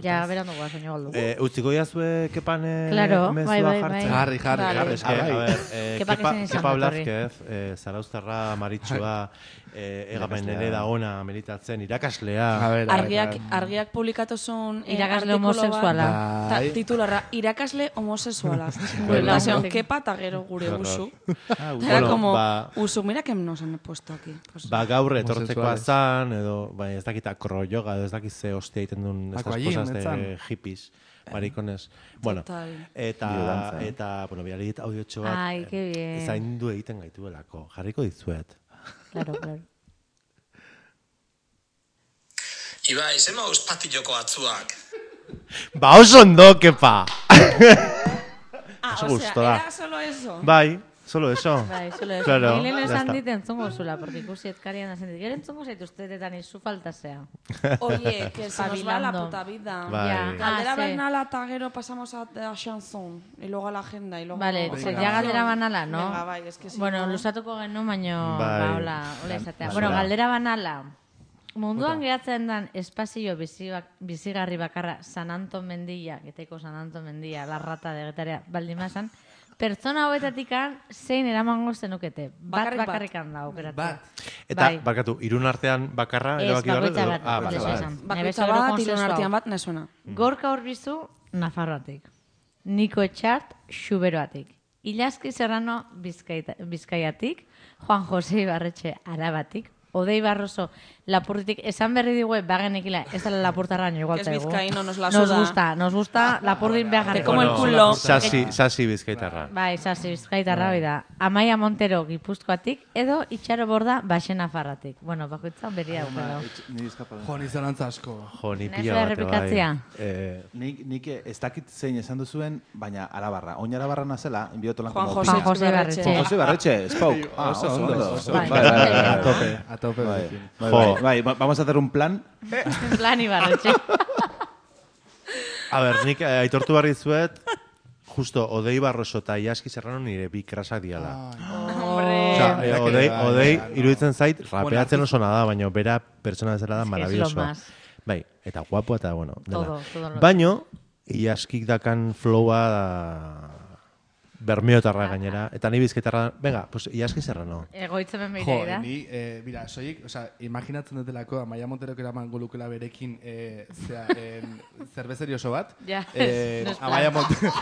Ja, berandu goaz, baina galdu. Eh, utziko jazue Kepan eh, Claro, mezua bai, bai, bai. jartzen? Jarri, jarri, Vale. jarri, Es que, jarri. a ver, eh, Kepak Kepa, ezin izan Kepa dut horri. Blázquez, eh, Zarauztarra, Maritxua, eh, egamen Irakaslea. ere da ona militatzen, irakaslea. A ver, a ver, Argiak, a ver. argiak publikatu zuen eh, Irakasle artikulu bat. homosexuala. Ta, Bai. titularra, irakasle homosexuala. Bueno, Nazion, bueno. kepa eta gero gure Qué horror. usu. Ah, Era Bueno, como, ba- usu, mira que nos han puesto aquí. Pues, Ba, gaur etortzekoa Homosexuales. zan, edo, bai, ez dakit acroyoga, edo ez dakit ze hostia egiten duen estas Aquagym, cosas de etzan. hippies, maricones. Bueno, Total. eta, Biodanza. eta, bueno, biali dit audiotxo bat, Ai, que bien. zaindu egiten gaituelako. Jarriko dizuet. Claro, claro. Ibai, zema patilloko atzuak. Ba, oso ondo, kepa! ah, oso o sea, gustoa. era solo eso. Bai, solo eso. Bai, solo eso. Claro, Ni lehen ya esan está. dit entzungo zula, porque ikusi etkarian esan dit. Gero entzungo zaituztetetan izu falta zea. Oye, que se nos va la Espabilando. puta vida. Bai. Ya. Galdera Ah, sí. banala eta gero pasamos a, a chanson. Y luego a la agenda. Y luego Vale, a ze canción. ja galdera banala, no? Venga, bai, es que si Bueno, no... lusatuko genuen, baino, Bai. ba, hola, hola izatea. Bai. Bueno, Bai. galdera banala. Munduan geratzen den espazio bizi bak, bizigarri bakarra San Anton Mendia, geteko San Anton Mendia, la rata de getaria baldimazan, pertsona hauetatikan zein eramango zenukete. Bat Bakarrik bat. bakarrikan da aukeratu. Bat. Eta, Bai. barkatu, irun artean bakarra, Ez, erabaki gabe, bakoitza edo- bat, Ah, bakoitza vale, esan. vale. Bakoitza Nebezero bat, konsensuau. ilun artean bat, nazuena. Gorka Urbizu, Nafarroatik. Niko Etxart, Xuberoatik. Ilaski Serrano, Bizkaita, Bizkaiatik. Juan Jose Ibarretxe, Arabatik. Odei Barroso, Lapurditik. Esan berri digue, bagenekila, ez da Lapurtarra nio igual Que es zaigu. vizcaíno, nos la Nos suda. gusta, nos gusta Lapurdin behar jarriko. Como el culo. Sasi, sasi bizkaitarra. Bai, sasi, Bizkaitarra hoi da. Amaia Montero, Gipuzkoatik, edo Itxaro Borda, Baxena Farratik. Bueno, bakoitzan berria aukera. Ni eskapa. Jo, ni zelantza asko. Jo, ni Nahi pila zuen bate, bai. errepikatzea? Eh, Nik, nik ez dakit zein esan duzuen, baina arabarra. Oin arabarra nazela, enbiotolan Juan como José opina. Juan José Ibarretxe. Juan José Barretxe, spoke. Ah, Oso oso ondo, ondo. oso Bai, Bai, bai, bai, bai, A bai. tope, a tope. Bai, berekin. bai, Jo. bai, bai, vamos a hacer un plan. En plan Ibarretxe. a ber, nik eh, aitortu barri zuet, justo, Odei Barroso eta Iaski Serrano nire bi krasak diala. Hombre. Osea, eh, Bai, Odei, bai, Odei bai, iruditzen zait, Bueno, rapeatzen artista. oso nada, baina bera pertsona bezala da Es que es lo maravilloso. más. Bai, eta guapo eta bueno. dela. Todo, todo lo- Baino, Iaskik dakan flowa da bermiotarra gainera. Eta ni bizkaitarra, venga, pues Iaski Serrano. Egoitzemen Jo, beira, ni, eh, mira, soilik, o sea, imaginatzen dutelako, Amaia Monterok eraman golukela berekin, eh, zera, en, zerbezeri oso bat. Ja, eh, no es plan. Amaia Montero.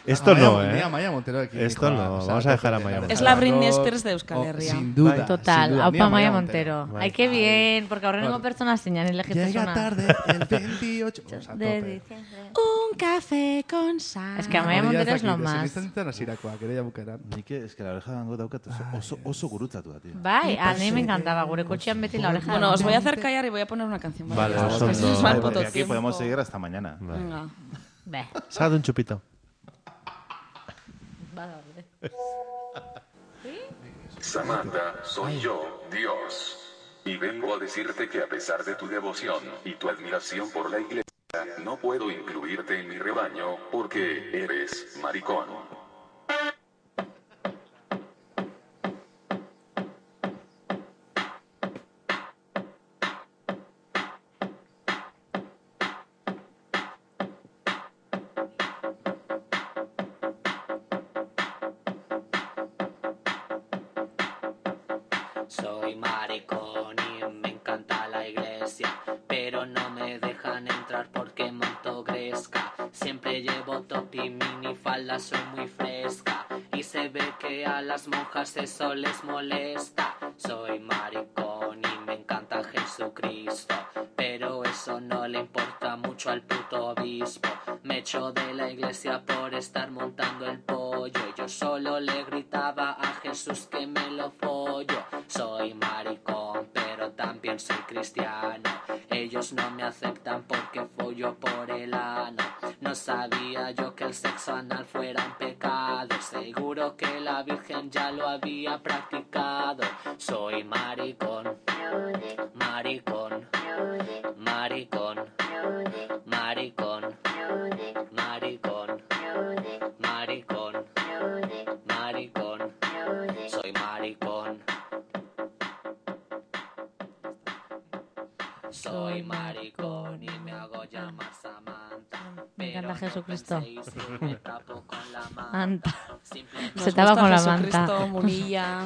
Esto no, Ni eh. Amaia Monteroekin. Esto dijo, no, o sea, vamos a dejar a tope, Amaia la Montero. Es la Britney Rock, Spears de Euskal oh, Herria. Sin duda, sin Total, duda, ni aupa Maia Amaia Montero. Bai. Ay, qué bien, porque aurrengo Bai. pertsona zinan, Llega ilegitasuna. tarde el veintiocho. O sea, De tope. diciembre. Un café con sal. Es que Amaia Hori Montero ez es lo dakit, más. ezin izan hasirakoak, ere jabukeran. Nik es que la oreja dango daukat oso, oso, oso gurutzatu da, tío. Bai, a mí me encantaba, gure kotxean beti la oreja. Bueno, de os voy a Montero. hacer callar y voy a poner una canción. Vale, Porque oso es que ondo. es mal Porque puto aquí tiempo. podemos seguir hasta mañana. Venga. Be, Sácate un chupito. bada orde. Samantha, soy yo, Dios. Y vengo a decirte que a pesar de tu devoción y tu admiración por la iglesia, no puedo incluirte en mi rebaño porque eres maricón. Soy maricón y me encanta la iglesia, pero no me dejan entrar porque monto gresca. Siempre llevo top y minifalda, soy muy fresca y se ve que a las monjas eso les molesta. Soy maricón y me encanta Jesucristo, pero eso no le importa mucho al puto arzobispo me echó de la iglesia por estar montando el pollo. Y yo solo le gritaba a Jesús que me lo follo. Soy maricón, pero también soy cristiano. Ellos no me aceptan porque follo por el ano. No sabía yo que el sexo anal fuera un pecado. Seguro que la Virgen ya lo había practicado. Soy maricón, maricón, maricón, maricón, maricón, maricón, maricón, soy maricón. Soy maricón y me hago llamar Samantha. Me encanta Jesucristo. Me tapo con la Manta. Nos Se tapa gusta con la Jesucristo, manta. Munilla,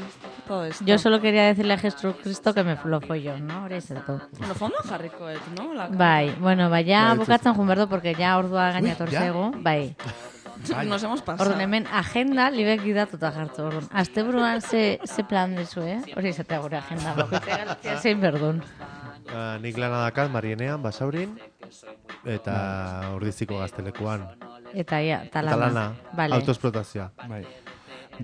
todo esto. Yo solo quería decirle a Jesucristo que me lo follo, ¿no? Hori zertu. Bueno, fondo jarrikoet, no? La Bai, bueno, bai, ja Bai, bukatzen joan berdu, porque ja ordua gainator ya? zego, bai. Nos hemos pasado. Orduan hemen agenda libek idatuta jartu. Orduan, asteburuan ze, ze plan dezu, eh? Hori izatea gure agenda. Bakoitzak zein berdun. Ba, nik lana dakat Marienean, Basaurin, eta Ordiziko gaztelekuan. Eta ja, talana. Talana, Vale. autoesplotazioa. Bai.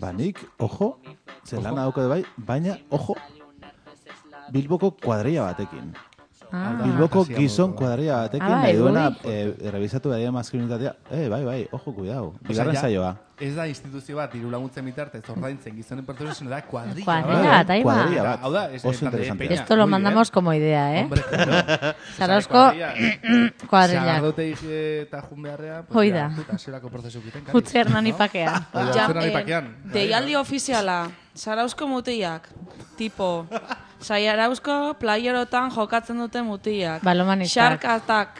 Ba, nik, ojo, zelana dauko bai, baina, ojo, Bilboko kuadrilla batekin. Ah. Bilboko gizon kuadrilla batekin, Ah, bai, nahi duena, ui. eh, revisatu behar maskulinitatea, eh, bai, bai, ojo, cuidado, bigarren ja, saioa. Ez da instituzio bat, diru laguntzen bitartez ordaintzen gizonen pertsonen da kuadrilla. Cuadrilla bat, ahí va. Kuadrilla bat. Hau da, es, Oso en plan de interesante. peña. Esto lo Muy mandamos bien. como idea, ¿eh? Hombre, claro. Zarauzko Cuadrilla. kuadrilla. Sagardotei eta jun beharrean, pues Hoi ya, da. puta, zerako prozesu egiten. Utzi Hernani pakean. Hoi da, Ja, utzi Hernani eh, pakean. Deialdi ofiziala, Zarauzko mutiak, tipo, Zarauzko playerotan jokatzen dute mutiak. Balomanistak. Xarkatak,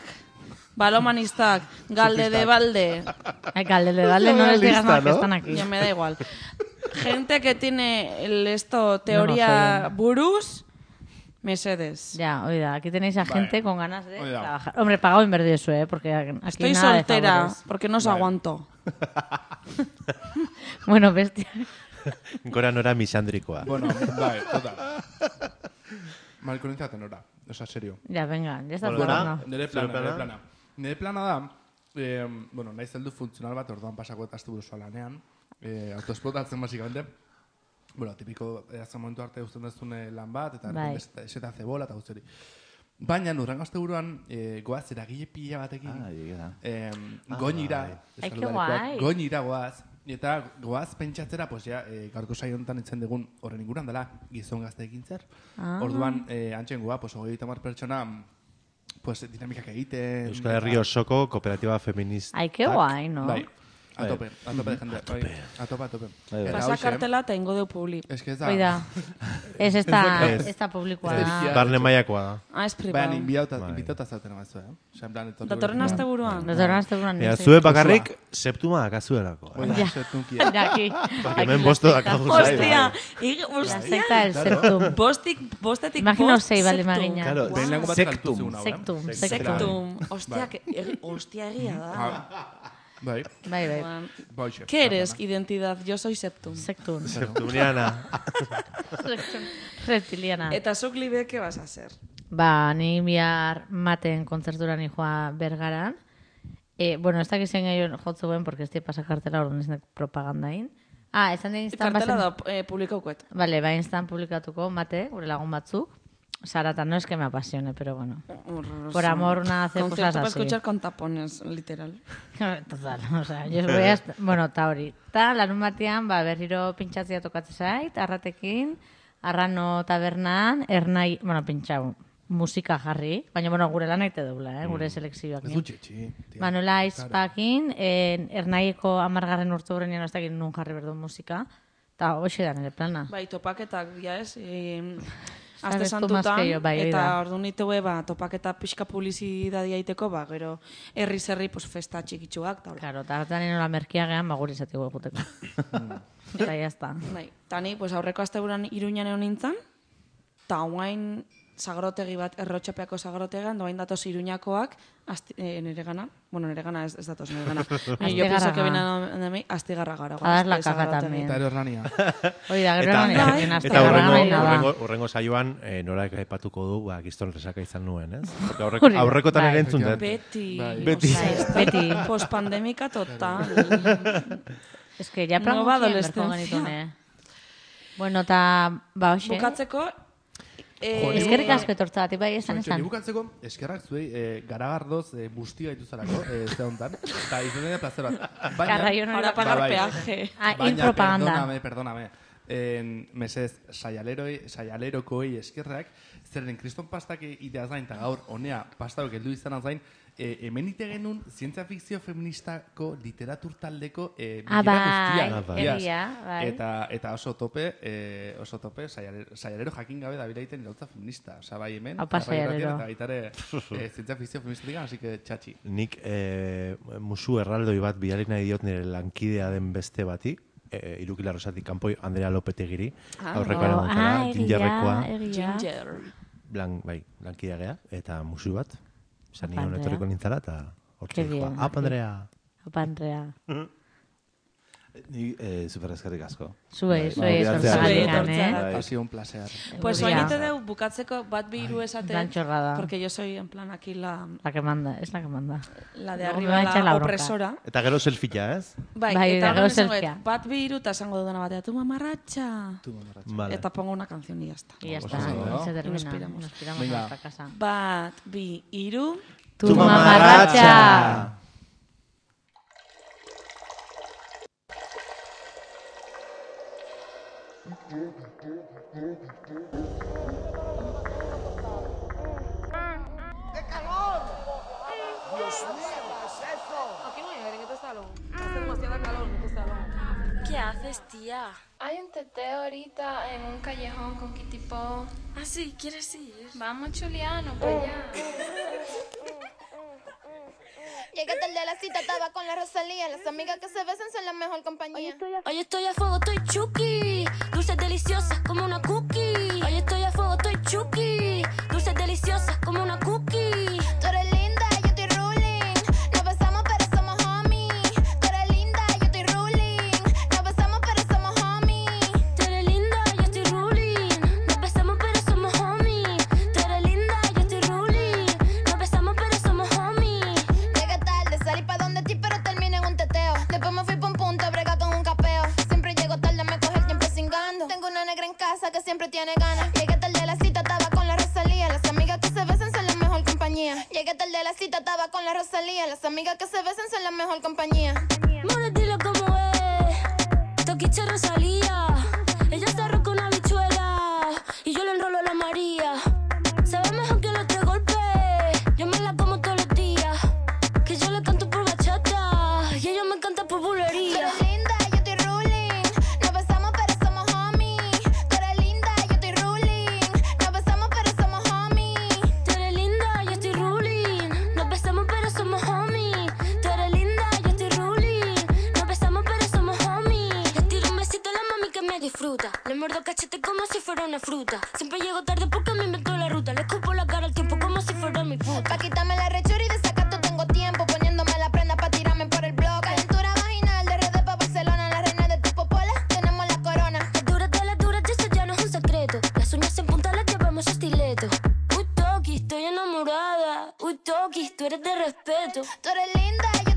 balomanistak, galde de Surfistak. balde. Ay, galde de balde, no les digas nada que están aquí. Ya me da igual. Gente que tiene el esto, teoría buruz, Mesedes. Ya, oiga, aquí tenéis a Vale. gente con ganas de Oiga. trabajar. Hombre, pagado en verde eso, ¿eh? Porque aquí Estoy nada de soltera favores. porque no os Vale. aguanto. Bueno, bestia. Gora nora misandrikoa. Bueno, bai, total. Malkonintzat enora, osa, serio. Ya, venga, ya estás Bueno, jugando. Nire Zure plana, plana? nire plana. Nire plana da, eh, bueno, nahi zeldu funtzional bat, orduan pasako eta asteburu zoa lanean, eh, autoesplotatzen basikamente. Bueno, tipiko, eh, azken momentu arte usten dezune lan bat, eta Bai. eseta zebola eta guzteri. Baina, nurrengo asteburuan, eh, goaz, eragile pila batekin, Ah, egia. eh, Ah, goinira, bai. Ai, que eskaludarekoak, guai. goinira goaz, eta goaz pentsatzera, pues ja, eh, gaurko saio honetan itzen dugun horren inguruan dela gizon gazteekin zer. Ah. Orduan, eh, antxen goa, pues hogeita hamar pertsona, pues dinamikak egiten. Euskal Herri osoko kooperatiba feminista. Ai, que guai, no? Bai, a Bai. tope, a tope de jende. Bai, a tope, a tope. Bai, bai. Pasa hoxe, kartela eta ingo deu publi. Es que ez da... Oida. Ez esta, Ez. esta publikoa Ez. da. Barne mailakoa da. Ah, es privado. Baina, inbiauta, Bai. invitauta zauten amazu, eh? Osa, en plan, etorri Datorren gure- asteburuan. Datorren asteburuan Ea, nintzen. zue bakarrik septuma dakazuelako. Hoi da, Ja. septunkia. Ja, aquí. Porque hemen bosto dakazu zai. Hostia, ig- La hostia. secta del septum. Bostik, bostetik Imagino bost sei bale septum. magina. Claro, Behin lango bat Sectum. galtu zeun hau, eh? Sectum, Sectum. Hostia, Bai. que, egi- hostia egia da. Ah, Bai, Bai, bai. Juan, bai, xe. ¿Qué eres? Identidad. Yo soy septum. Sectum. Septumiana. Reptiliana. Eta zuk libe, ¿qué vas a hacer? Ba, ni bihar maten kontzertura ni joa Bergaran. Eh, bueno, ez dakiz zein gehiago jotzuen, porque ez di pasakartela orduan ez nek propagandain. Ah, esan den instan Kartela bazen... da eh, publikaukuet. Vale, ba, instan publikatuko mate, gure lagun batzuk. Sarata, no es que me apasione, pero bueno. Por amor, una hace Concierto cosas para así. escuchar con tapones, literal. Total, o sea, yo voy a... Bueno, ta hori. Ta, larun batean, ba, berriro pintxatzea tokatzen zait, arratekin, arrano tabernan, ernai, bueno, pintxau, musika jarri, baina, bueno, gure lan aite deula, eh, gure selekzioak. Ez du txetxi. tia. Manuela Aizpakin, en, ernaiko amargarren urte horrenean ez dakit nun jarri berdu musika, eta hoxe da nire plana. Bai, topaketak, ja ez, e, Sabes aste tú más santutan, que yo, bai, hori eta da. ordu nitue, ba, topaketa pixka publizidadia iteko, ba, gero, herri-zerri, pues, festa txikitsuak, eta hola. Claro, eta hartan nola merkiagean, ba, guri izateko eguteko. Eta ya está. Bai, tani, pues, aurreko asteburuan Iruñan egon nintzen, eta guain zagrotegi bat, errotxapeako zagrotegan, doain datoz Iruñakoak, asti, e, nire gana, bueno, nire gana ez, ez datoz nire gana. Yo pienso que viene a mí astigarra gara. A dar la caca también. Eta errania. Hoi da, gero errania. Eta urrengo, urrengo saioan, eh, norak aipatuko du, ba, Kriston Resaka izan nuen, ez? Porque aurreko, aurrekotan ere entzun dut. Beti. Beti. Beti. Pospandemika total. Es que ya no va adolescencia. Bueno, eta, ba, hoxe. Bukatzeko, Eh, eskerrik asko etortzagatik, bai, esan esan. Bukatzeko, eskerrak zuei, eh, garagardoz eh, busti gaitu zarako, eh, ze hontan. Eta izan dira plazer bat. Carraio no era pagar peaje. Ah, impropaganda. Perdóname, perdóname. En mesez, saialeroi, saialerokoi eskerrak, zeren kriston pastak ideaz gain, eta gaur, honea, pastak heldu izan zain, eh, hemen ite genuen zientzia fikzio feministako literatur taldeko eh, bilera guztia. Bai, eta, eta oso tope, eh, oso tope, saialero, saialero jakin gabe da bilaiten irautza feminista. Osa, bai hemen, Opa, saialero. Eta baitare eh, zientzia fikzio feministatik, así que txatxi. Nik eh, musu erraldoi bat bidali nahi diot nire lankidea den beste bati, eh, Irukila Rosatik kanpoi Andrea Lopetegiri, ah, aurrekoa oh, ah, Gingerrekoa. Ginger. Blan, bai, lankidea gea, eta musu bat. Zan nion etorriko nintzala, eta hortzik joa. Apa, Andrea! Apa, Andrea! Ni eh, super eskerrik asko. Zuei, zuei esortzagatik, eh? Ha sido un placer. Pues oinite deu bukatzeko bat bi hiru esate. Blanchorrada. Porque yo soy en plan aquí la... La que manda, es la que manda. La de arriba, la opresora. Eta gero selfia, ez? Bai, bai eta gero selfia. Bat bi hiru eta esango dudana batea, tu mamarratxa. Tu mamarratxa. Vale. Eta pongo una canción y ya está. Y ya está, y se termina. Nos piramos a nuestra casa. Bat bi hiru... Tu mamarratxa. ¡Qué calor! ¡Dios mío! ¿Qué es eso? Aquí no hay aire en este salón. Hace demasiada calor en este salón. ¿Qué haces, tía? Hay un teteo ahorita en un callejón con Kitipo. Ah, sí, ¿quieres ir? Vamos, Chuliano, para allá. Llegué tarde a la cita, estaba con la Rosalía. Las amigas que se besan son la mejor compañía. Hoy estoy a fuego, estoy chuki. Dulces deliciosas como una cookie. Hoy estoy a fuego, estoy chuki. Dulces deliciosas como una cookie. Tú eres linda, yo estoy ruling. Nos besamos pero somos homies. Tú eres linda, yo estoy ruling. Nos besamos pero somos homies. Tú eres linda, yo estoy ruling. Nos besamos pero somos homies. Tú eres linda, yo estoy ruling. Nos besamos pero somos homies. Llegué tarde, salí pa' donde ti pero terminé en un teteo. Después me fui pa' un punto, brega con un capeo. Siempre llego tarde, me coge el tiempo cingando. Tengo una negra en casa que siempre tiene ganas. Llegué tarde a la cita, estaba con la Rosalía. Las amigas que se besan son la mejor compañía. Llegué tarde a la cita, estaba con la Rosalía. Las amigas que se besan son la mejor compañía. More, dilo como es. Toquiche Rosalía. Ella se arroja una bichuela y yo le enrolo a la María. Sabe mejor que los tres golpes. Yo me la como todos los días. Que yo le canto por bachata y ella me canta por bulería. Tú eres linda, yo estoy ruling. Nos besamos pero somos homies. Tú eres linda, yo estoy ruling. Nos besamos pero somos homies. Tú eres linda, yo estoy ruling. Nos besamos pero somos homies. Tú eres linda, yo estoy ruling. Nos besamos pero somos homies. Le tiro un besito a la mami que me disfruta. Le muerdo cachete como si fuera una fruta. Siempre llego tarde porque me inventó la ruta. Le escupo la cara al tiempo como si fuera mi puta. Pa' quitarme la rechura y de sacato tengo tiempo. Poniéndome la prenda pa' tirarme por el blog. Calentura vaginal de redes pa' Barcelona. La reina de tu popola, tenemos la corona. Las duras de las duras, eso ya no es un secreto. Las uñas en punta las llevamos estileto. Uy, Toki, estoy enamorada. Uy, Toki, tú eres de respeto. Tú eres linda, yo